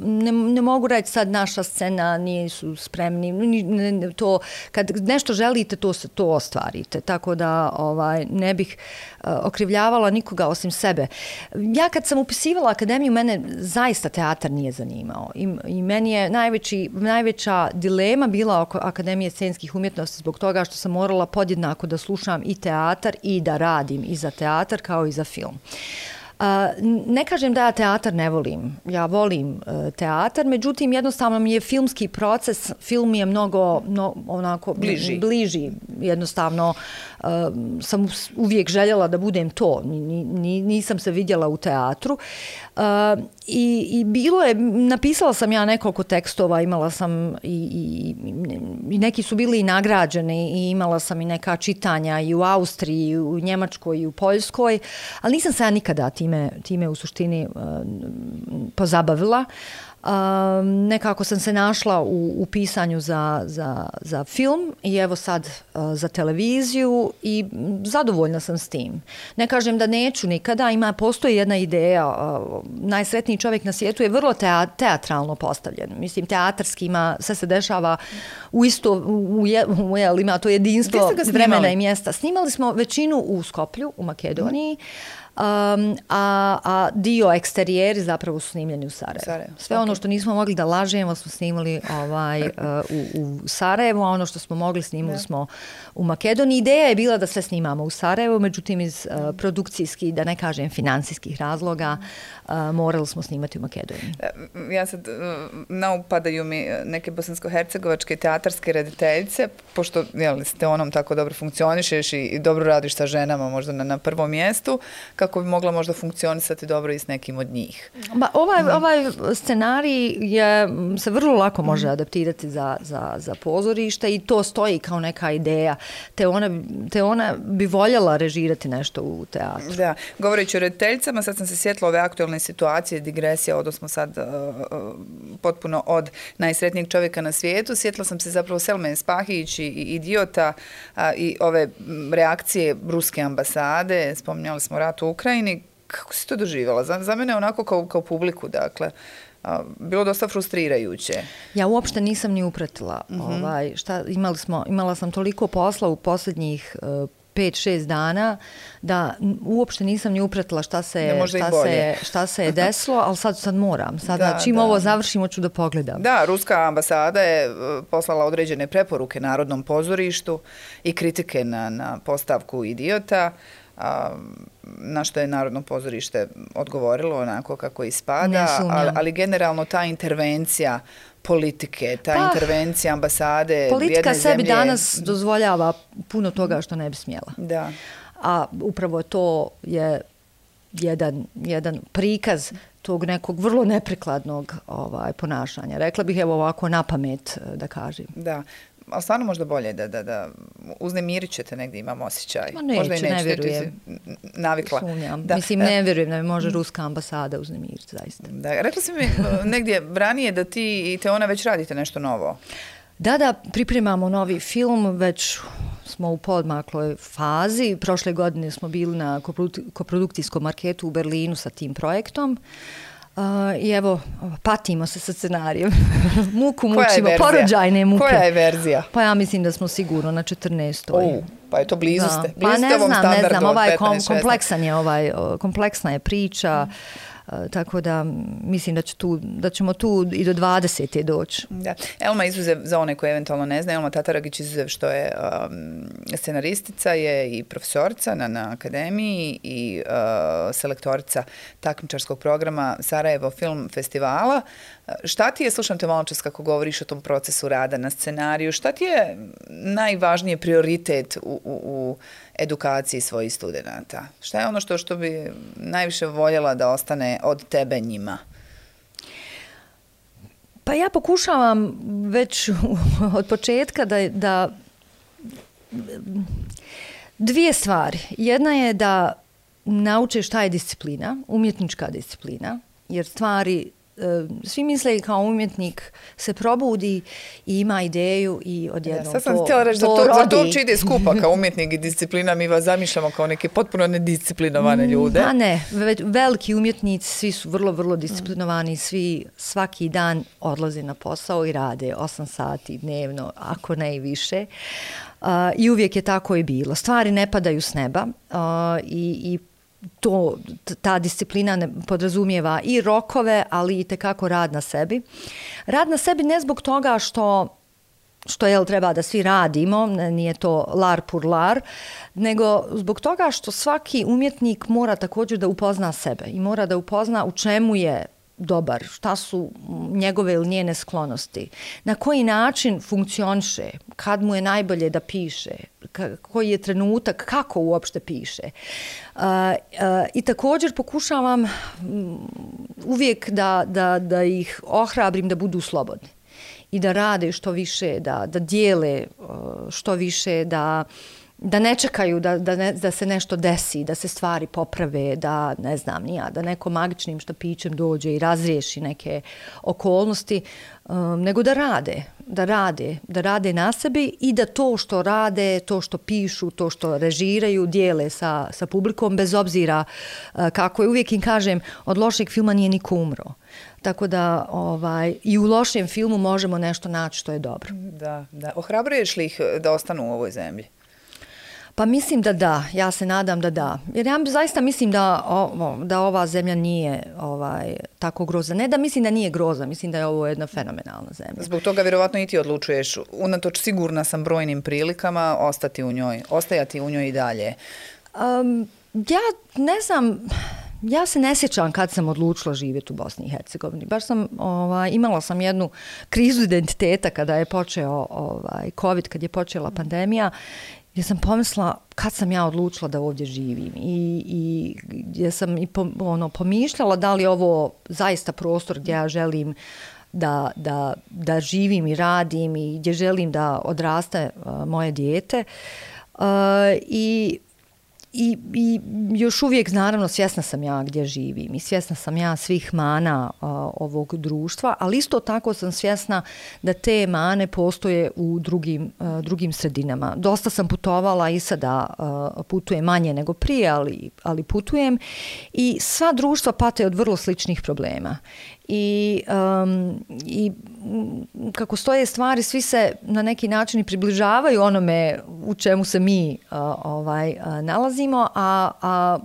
ne mogu reći sad naša scena nisu spremni. To, kad nešto želite, to ostvarite. Tako da ne bih okrivljavala nikoga osim sebe. Ja kad sam upisivala akademiju, mene zaista teatar nije zanimao. I meni je najveća dilema bila oko Akademije scenskih umjetnosti zbog toga što sam morala podjednako da slušam i teatar i da radim i za teatar kao i za film. Ne kažem da ja teatar ne volim. Ja volim teatar, međutim jednostavno mi je filmski proces, film mi je mnogo onako bliži. Jednostavno sam uvijek željela da budem to. Nisam se vidjela u teatru. I bilo je, napisala sam ja nekoliko tekstova, imala sam i neki su bili i nagrađeni i imala sam i neka čitanja i u Austriji, i u Njemačkoj i u Poljskoj, ali nisam se ja nikada time u suštini pozabavila. Nekako sam se našla u pisanju za film i evo sad za televiziju i zadovoljna sam s tim. Ne kažem da neću nikada, postoji jedna ideja, najsretniji čovjek na svijetu je vrlo teatralno postavljen. Mislim, teatarski sve se dešava ima to jedinstvo vremena i mjesta. Snimali smo većinu u Skoplju, u Makedoniji, a dio eksterijeri zapravo su snimljeni u Sarajevu. Sve ono što nismo mogli da lažemo smo snimali u Sarajevu, a ono što smo mogli snimali smo u Makedoniji. Ideja je bila da sve snimamo u Sarajevu, međutim iz produkcijskih, da ne kažem financijskih razloga, morali smo snimati u Makedoniji. Ja sad, naupadaju mi neke bosansko-hercegovačke teatarske rediteljice, pošto ste onom tako dobro funkcionišeš i dobro radiš sa ženama možda na prvom mjestu, kako bi mogla možda funkcionisati dobro i s nekim od njih. Ovaj scenarij se vrlo lako može adaptirati za pozorište i to stoji kao neka ideja. Te ona bi voljela režirati nešto u teatru. Da, govoreći o rediteljicama, sad sam se sjetila ove aktualne situacije, digresija, odnosno sad potpuno od najsretnijeg čovjeka na svijetu. Sjetila sam se zapravo Selme Spahić i Idiota i ove reakcije ruske ambasade, spominjali smo rat u Ukrajini. Kako si to doživjela? Za mene onako kao publiku, dakle, bilo dosta frustrirajuće. Ja uopšte nisam ni upratila. Imala sam toliko posla u posljednjih 5-6 dana da uopšte nisam ni upratila šta se je desilo, ali sad moram. Čim ovo završimo ću da pogledam. Da, ruska ambasada je poslala određene preporuke Narodnom pozorištu i kritike na postavku Idiota, na što je Narodno pozorište odgovorilo onako kako ispada, ali generalno ta intervencija politike, intervencija ambasade jedne zemlje. Politika sebi danas dozvoljava puno toga što ne bi smjela. Da. A upravo to je jedan prikaz tog nekog vrlo neprikladnog ponašanja. Rekla bih evo ovako na pamet da kažem. Da. Ali stvarno možda bolje da uznemirit ćete negdje, imam osjećaj. Neću, ne vjerujem. Navikla. Mislim, ne vjerujem da mi može ruska ambasada uznemiriti, zaista. Da, rekla si mi negdje ranije da ti i Teona već radite nešto novo. Da, pripremamo novi film, već smo u podmakloj fazi. Prošle godine smo bili na koprodukcijskom marketu u Berlinu sa tim projektom. I evo, patimo se sa scenarijem. Muku mučimo, porođajne muke. Koja je verzija? Pa ja mislim da smo sigurno na 14. Pa je to blizu ste. Pa ne znam, kompleksna je priča. Tako da mislim da ćemo tu i do 20. doći. Da. Elma izuzev, za one koje eventualno ne znaju, Elma Tataragić izuzev što je scenaristica je i profesorica na akademiji i selektorica takmičarskog programa Sarajevo Film Festivala. Šta ti je, slušam te malo čas kako govoriš o tom procesu rada na scenariju, šta ti je najvažniji prioritet u edukaciji svojih studenata? Šta je ono što bi najviše voljela da ostane od tebe njima? Pa ja pokušavam već od početka da dvije stvari. Jedna je da nauče šta je disciplina, umjetnička disciplina, jer stvari svi misle kao umjetnik se probudi i ima ideju i odjednom sad sam htjela reći, za to uopće ide skupa kao umjetnik i disciplina, mi vas zamišljamo kao neke potpuno nedisciplinovane ljude. Pa ne, veliki umjetnici, svi su vrlo, vrlo disciplinovani, svi svaki dan odlaze na posao i rade 8 sati dnevno, ako ne i više. I uvijek je tako i bilo. Stvari ne padaju s neba i ta disciplina ne podrazumijeva i rokove, ali i tekako rad na sebi. Rad na sebi ne zbog toga što treba da svi radimo, nije to lar pur lar, nego zbog toga što svaki umjetnik mora također da upozna sebe i mora da upozna u čemu je dobar, šta su njegove ili njene sklonosti, na koji način funkcioniše, kad mu je najbolje da piše, koji je trenutak, kako uopšte piše. I također pokušavam uvijek da ih ohrabrim da budu slobodni i da rade što više, da dijele što više, da ne čekaju da se nešto desi, da se stvari poprave, da ne znam ni ja, da neko magičnim štapićem dođe i razriješi neke okolnosti, nego da rade na sebi i da to što rade, to što pišu, to što režiraju, dijele sa publikom, bez obzira kako je. Uvijek im kažem, od lošeg filma nije niko umro. Tako da i u lošem filmu možemo nešto naći što je dobro. Da. Ohrabruješ li ih da ostanu u ovoj zemlji? Pa mislim da da, ja se nadam da da. Jer ja zaista mislim da ova zemlja nije tako grozna. Ne da mislim da nije grozna, mislim da je ovo jedna fenomenalna zemlja. Zbog toga vjerovatno i ti odlučuješ, unatoč sigurna sam brojnim prilikama, ostajati u njoj i dalje. Ja ne znam, ja se ne sjećam kad sam odlučila živjeti u Bosni i Hercegovini. Baš sam, imala sam jednu krizu identiteta kada je počeo COVID, kad je počela pandemija, gdje sam pomislila kad sam ja odlučila da ovdje živim i gdje sam i pomišljala da li je ovo zaista prostor gdje ja želim da živim i radim i gdje želim da odraste moje dijete. I još uvijek, naravno, svjesna sam ja gdje živim i svjesna sam ja svih mana ovog društva, ali isto tako sam svjesna da te mane postoje u drugim sredinama. Dosta sam putovala i sada putujem manje nego prije, ali putujem i sva društva pate od vrlo sličnih problema. I kako stoje stvari, svi se na neki način približavaju onome u čemu se mi nalazimo, a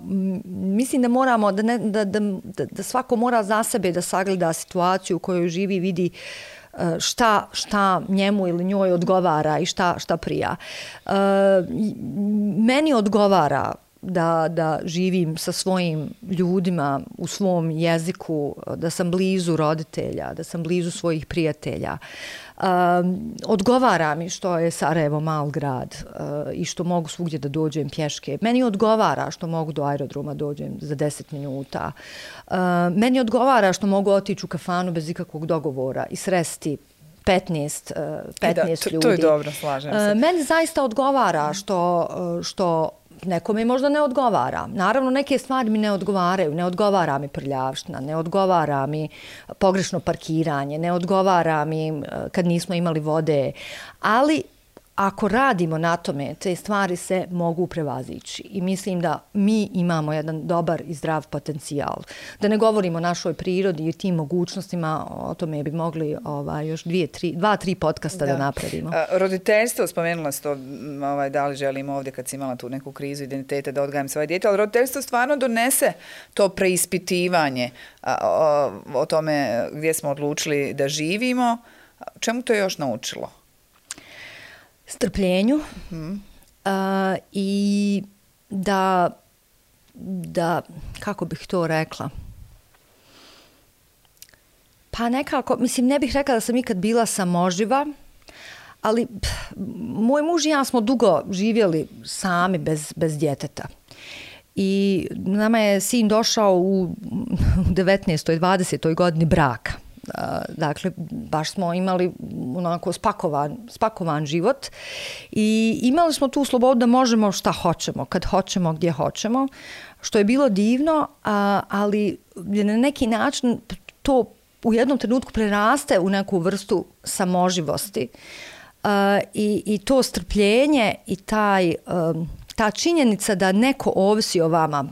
mislim da moramo, da svako mora za sebe da sagleda situaciju u kojoj živi, vidi šta njemu ili njoj odgovara i šta prija. Meni odgovara da živim sa svojim ljudima u svom jeziku, da sam blizu roditelja, da sam blizu svojih prijatelja. Odgovara mi što je Sarajevo mal grad i što mogu svugdje da dođem pješke. Meni odgovara što mogu do aerodroma dođem za 10 minuta. Meni odgovara što mogu otići u kafanu bez ikakvog dogovora i sresti 15 ljudi. To je dobro, slažem se. Meni zaista odgovara što nekome možda ne odgovara. Naravno, neke stvari mi ne odgovaraju. Ne odgovara mi prljavština, ne odgovara mi pogrešno parkiranje, ne odgovara mi kad nismo imali vode. Ali ako radimo na tome, te stvari se mogu prevazići. I mislim da mi imamo jedan dobar i zdrav potencijal. Da ne govorimo o našoj prirodi i tim mogućnostima, o tome bi mogli još 2-3 podcasta da napravimo. Roditeljstvo, spomenula si to, da li želimo ovdje kad si imala tu neku krizu identiteta da odgajam svoje dijete, ali roditeljstvo stvarno donese to preispitivanje o tome gdje smo odlučili da živimo. Čemu to je još naučilo? Strpljenju i da, kako bih to rekla, pa nekako, mislim, ne bih rekla da sam ikad bila samoživa, ali moj muž i ja smo dugo živjeli sami bez djeteta. I nama je sin došao u 19. 20. godini braka. Dakle, baš smo imali onako spakovan život i imali smo tu slobodu da možemo šta hoćemo, kad hoćemo, gdje hoćemo, što je bilo divno, ali na neki način to u jednom trenutku preraste u neku vrstu samoživosti i to strpljenje i ta činjenica da neko ovisi o vama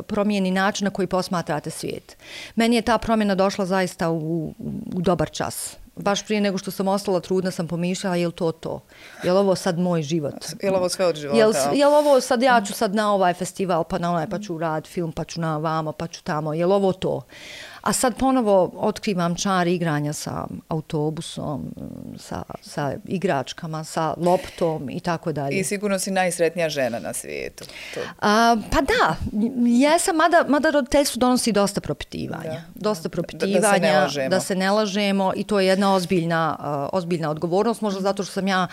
promijeni način na koji posmatrate svijet. Meni je ta promjena došla zaista u dobar čas. Baš prije nego što sam ostala trudna sam pomišljala je li to? Je li ovo sad moj život? Je li ovo sve od života? Je li ovo sad, ja ću sad na ovaj festival, pa na onaj, pa ću raditi film, pa ću na vamo, pa ću tamo. Je li ovo to? A sad ponovo otkrivam čar igranja sa autobusom, sa igračkama, sa loptom i tako dalje. I sigurno si najsretnija žena na svijetu. Pa da, jesam, mada roditeljstvo donosi dosta propitivanja. Da. Dosta propitivanja, da se ne lažemo i to je jedna ozbiljna odgovornost, možda zato što sam ja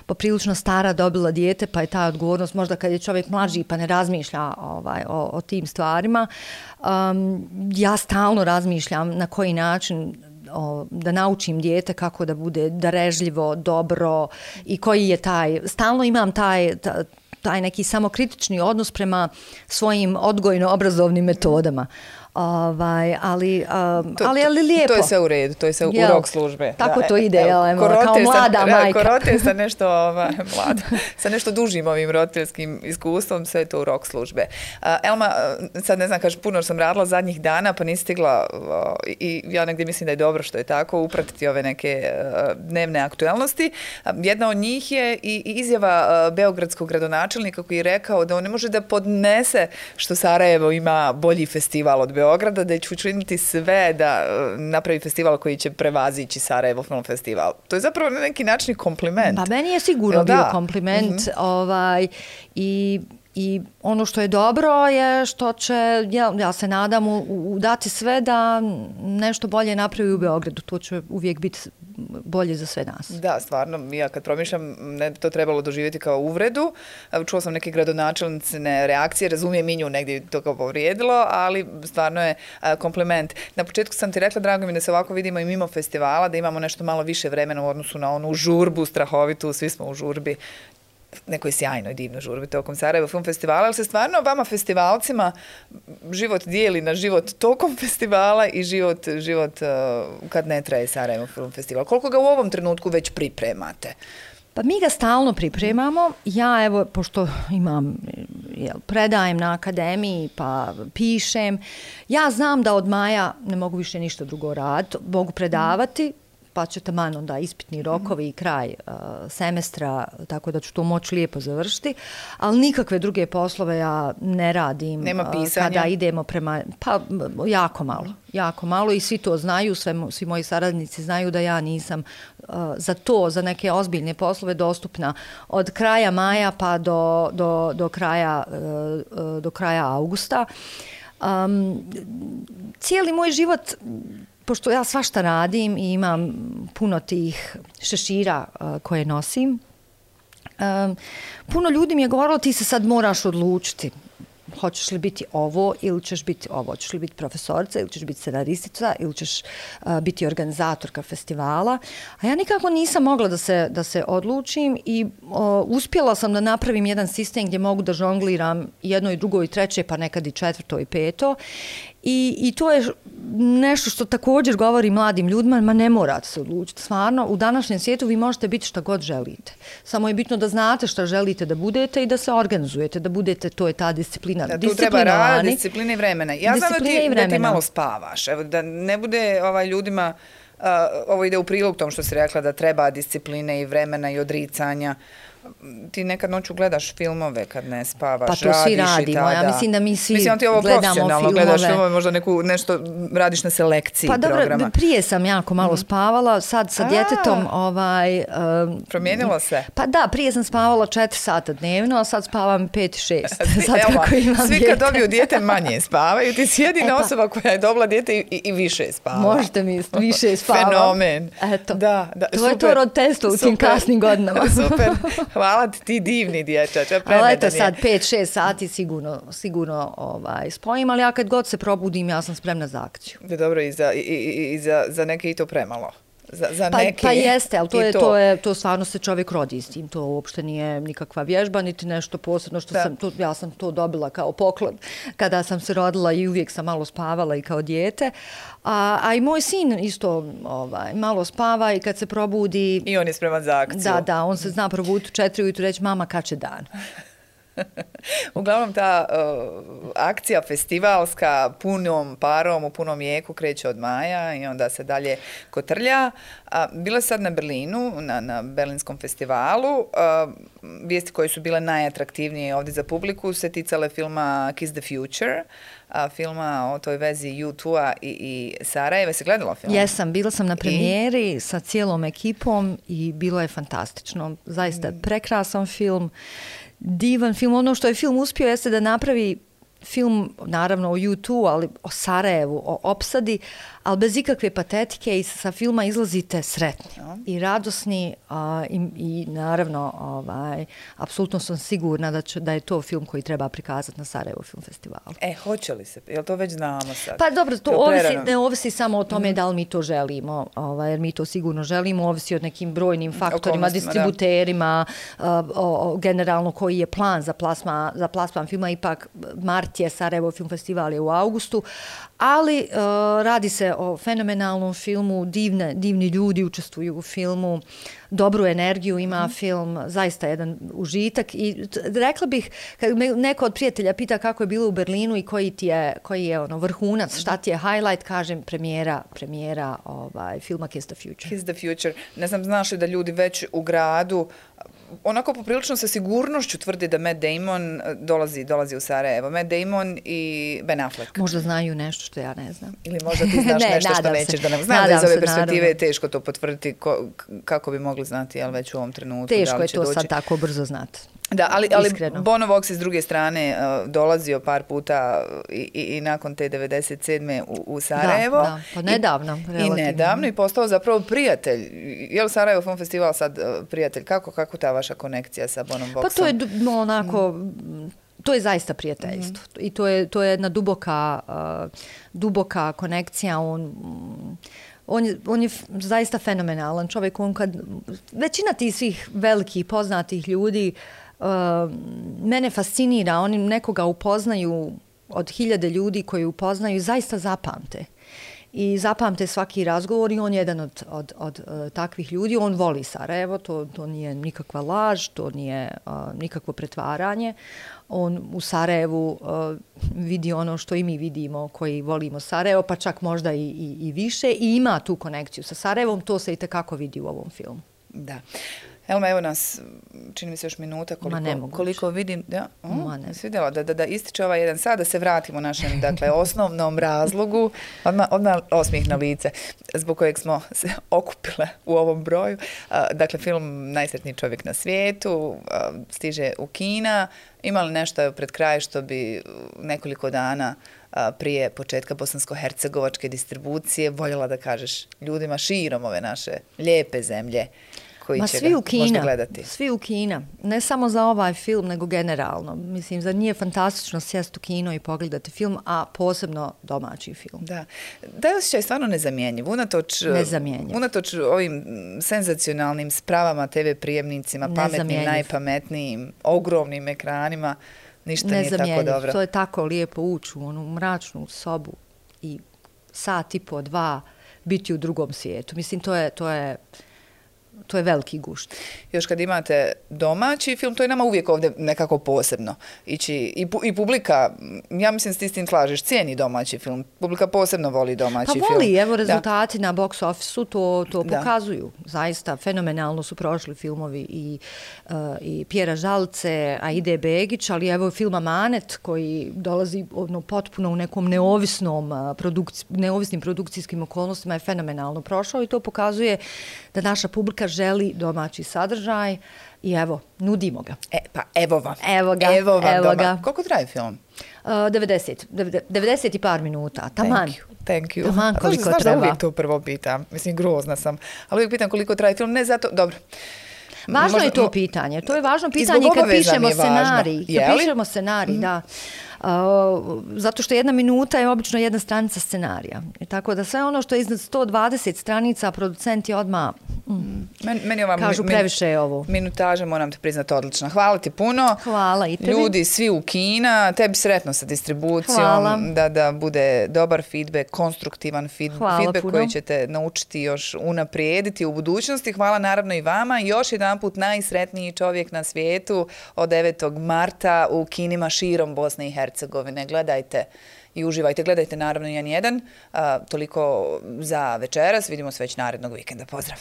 poprilično stara dobila dijete, pa je ta odgovornost možda kad je čovjek mlađi pa ne razmišlja o tim stvarima. Ja stalno razmišljam na koji način da naučim dijete kako da bude darežljivo, dobro i koji je stalno imam taj neki samokritični odnos prema svojim odgojno-obrazovnim metodama. Ali lijepo. To je sve u redu, to je sve u rok službe. Tako to ide, kao mlada majka. Korote sa nešto mlada, sa nešto dužim ovim roditeljskim iskustvom, sve je to u rok službe. Elma, sad ne znam, kažeš, puno sam radila zadnjih dana, pa nisi stigla i ja negdje mislim da je dobro što je tako, upratiti ove neke dnevne aktuelnosti. Jedna od njih je i izjava beogradskog gradonačelnika koji je rekao da on ne može da podnese što Sarajevo ima bolji festival od Beograda, da će učiniti sve da napravi festival koji će prevazići Sarajevo Film Festival. To je zapravo na neki način kompliment. Pa meni je sigurno bio kompliment. I ono što je dobro je što će, ja se nadam, dati sve da nešto bolje napravi u Beogradu. To će uvijek biti bolje za sve nas. Da, stvarno, ja kad promišljam, ne bi to trebalo doživjeti kao uvredu. Čuo sam neke gradonačelnicine reakcije, razumijem i nju negdje to kao povrijedilo, ali stvarno je kompliment. Na početku sam ti rekla, drago mi da se ovako vidimo i mimo festivala, da imamo nešto malo više vremena u odnosu na onu žurbu strahovitu, svi smo u žurbi, nekoj sjajnoj, divnoj žurbi tokom Sarajevo Film Festivala, ali se stvarno vama festivalcima život dijeli na život tokom festivala i život kad ne traje Sarajevo Film Festival. Koliko ga u ovom trenutku već pripremate? Pa mi ga stalno pripremamo. Ja, evo, pošto predajem na akademiji, pa pišem, ja znam da od maja ne mogu više ništa drugo raditi, mogu predavati, pa će taman onda ispitni rokovi i kraj semestra, tako da ću to moći lijepo završiti, ali nikakve druge poslove ja ne radim. Nema pisanja? Kada idemo prema, pa jako malo i svi to znaju, svi moji saradnici znaju da ja nisam za neke ozbiljne poslove dostupna od kraja maja pa do kraja augusta. Cijeli moj život, pošto ja svašta radim i imam puno tih šešira koje nosim, puno ljudi mi je govorilo ti se sad moraš odlučiti. Hoćeš li biti ovo ili ćeš biti ovo? Hoćeš li biti profesorica ili ćeš biti scenaristica ili ćeš biti organizatorka festivala? A ja nikako nisam mogla da se odlučim i uspjela sam da napravim jedan sistem gdje mogu da žongliram jedno i drugo i treće, pa nekad i četvrto i peto. I to je nešto što također govori mladim ljudima, ma ne morate se odlučiti. Stvarno, u današnjem svijetu vi možete biti šta god želite. Samo je bitno da znate šta želite da budete i da se organizujete, da budete, to je ta disciplina. Da, tu treba rad, disciplina i vremena. Ja znam da ti malo spavaš, evo, da ne bude ljudima, ovo ide u prilog tom što si rekla, da treba discipline i vremena i odricanja. Ti nekad noću gledaš filmove kad ne spavaš, pa to svi radimo, ja mislim da mi svi gledamo filmove. Profesionalno gledaš filmove, možda nešto radiš na selekciji programa. Pa dobro, prije sam jako malo spavala, sad sa djetetom promijenilo se? Pa da, prije sam spavala 4 sata dnevno, a sad spavam 5-6. Svi kad dobiju dijete manje spavaju, ti si jedina osoba koja je dobila dijete i više spava. Možete misliti, više spavam. Fenomen. Eto, da, to je to roditeljstvo u tim kasnim godinama. Super. Hvala ti divni dječač. Ali eto sad 5-6 sati sigurno spojim, ali ja kad god se probudim ja sam spremna za akciju. Dobro, i za neke i to premalo. za neki. Pa jeste, ali to stvarno se čovjek rodi s tim. To uopšte nije nikakva vježba, niti nešto posebno što ja sam to dobila kao poklon kada sam se rodila i uvijek sam malo spavala i kao dijete. A i moj sin isto malo spava i kad se probudi... I on je spreman za akciju. Da, on se zna probuditi u 4 ujutru i reći mama kad će dan. Uglavnom ta akcija festivalska punom parom u punom jeku kreće od maja i onda se dalje kotrlja. Bila je sad na Berlinu, na Berlinskom festivalu. Vijesti koje su bile najatraktivnije ovdje za publiku se ticale filma Kiss the Future, filma o toj vezi U2-a i Sarajeva. Si gledala film? Jesam, bila sam na premijeri sa cijelom ekipom i bilo je fantastično. Zaista prekrasan film. Divan film. Ono što je film uspio jeste da napravi film, naravno o U2, ali o Sarajevu, o opsadi, ali bez ikakve patetike i sa filma izlazite sretni i radosni i naravno apsolutno sam sigurna da je to film koji treba prikazati na Sarajevo Film Festivalu. Hoće li se? Jel to već znamo sad? Pa dobro, to ne ovisi samo o tome da li mi to želimo, jer mi to sigurno želimo, ovisi od nekim brojnim faktorima, distributerima, generalno koji je plan za plasman filma, ipak mart je, Sarajevo Film Festival je u augustu, ali radi se o fenomenalnom filmu, divni ljudi učestvuju u filmu, dobru energiju ima film, zaista jedan užitak i rekla bih, kad me neko od prijatelja pita kako je bilo u Berlinu i koji je vrhunac, šta ti je highlight, kažem premijera filma Kiss the Future. Kiss the Future. Ne znam, znaš li da ljudi već u gradu onako poprilično sa sigurnošću tvrdi da Matt Damon dolazi u Sarajevo. Matt Damon i Ben Affleck. Možda znaju nešto što ja ne znam. Ili možda ti znaš nešto što nećeš da nam... Znam da iz ove perspektive je teško to potvrditi kako bi mogli znati, ali već u ovom trenutku. Teško je to sad tako brzo znati. Da, ali Bono Vox je s druge strane dolazio par puta i nakon te 97. u Sarajevo. Da, pa nedavno. I nedavno i postao zapravo prijatelj. Je li Sarajevo Film Festival sad prijatelj? Kako ta vaša konekcija sa Bonom Voxom? Pa to je onako... To je zaista prijateljstvo. I to je jedna duboka konekcija. On je zaista fenomenalan čovjek. Većina tih svih velikih poznatih ljudi mene fascinira. Oni nekoga upoznaju od 1000 ljudi koji upoznaju, zaista zapamte. I zapamte svaki razgovor i on je jedan od takvih ljudi. On voli Sarajevo, to nije nikakva laž, to nije nikakvo pretvaranje. On u Sarajevu vidi ono što i mi vidimo koji volimo Sarajevo, pa čak možda i više i ima tu konekciju sa Sarajevom, to se i tekako vidi u ovom filmu. Da. Elma, evo nas, čini mi se još minuta koliko vidim. Svidjela da ističe ovaj jedan sad, da se vratimo našem osnovnom razlogu. Odmah osmijeh na lice, zbog kojeg smo se okupile u ovom broju. Dakle, film Najsretniji čovjek na svijetu stiže u kina. Ima li nešto pred kraj što bi nekoliko dana prije početka bosansko-hercegovačke distribucije voljela da kažeš ljudima širom ove naše lijepe zemlje koji će ga možda gledati? Svi u kina. Ne samo za ovaj film, nego generalno. Mislim, zar nije fantastično sjesti u kino i pogledati film, a posebno domaći film. Da. Taj osjećaj je stvarno nezamjenjiv. Unatoč ovim senzacionalnim spravama, TV prijemnicima, pametnim, najpametnijim, ogromnim ekranima, ništa nije tako dobro. To je tako lijepo ući u onu mračnu sobu i sat i po, 2 biti u drugom svijetu. Mislim, to je veliki gušt. Još kad imate domaći film, to je nama uvijek ovdje nekako posebno. I publika, ja mislim da ti s tim slažeš, cijeni domaći film. Publika posebno voli domaći film. Pa voli, evo rezultati na box office-u to pokazuju. Zaista, fenomenalno su prošli filmovi i Pjera Žalce, Aide Begić, ali evo film Amanet koji dolazi potpuno u nekom neovisnim produkcijskim okolnostima je fenomenalno prošao i to pokazuje da naša publika želi domaći sadržaj i evo, nudimo ga. Pa evo vam. Evo ga. Koliko traje film? 90 i par minuta. Taman. Thank you. Taman koliko treba. Znaš da uvijek to prvo pitam. Mislim, grozna sam. Ali uvijek pitam koliko traje film. Ne zato, dobro. Važno je to pitanje. To je važno pitanje kad pišemo scenarij. Kad pišemo scenarij, da. Zato što 1 minuta je obično 1 stranica scenarija. I tako da sve ono što je iznad 120 stranica, producenti odmah Meni ova kažu previše je ovo. Minutaža, moram te priznati, odlična. Hvala ti puno. Hvala i tebi. Ljudi, svi u kina, tebi sretno sa distribucijom, da bude dobar feedback, konstruktivan feedback koji ćete naučiti još unaprijediti u budućnosti. Hvala naravno i vama. Još jedanput najsretniji čovjek na svijetu od 9. marta u kinima širom Bosne i Hercegovine. Gledajte i uživajte. Gledajte naravno N1. Toliko za večeras. Vidimo se već narednog vikenda. Pozdrav!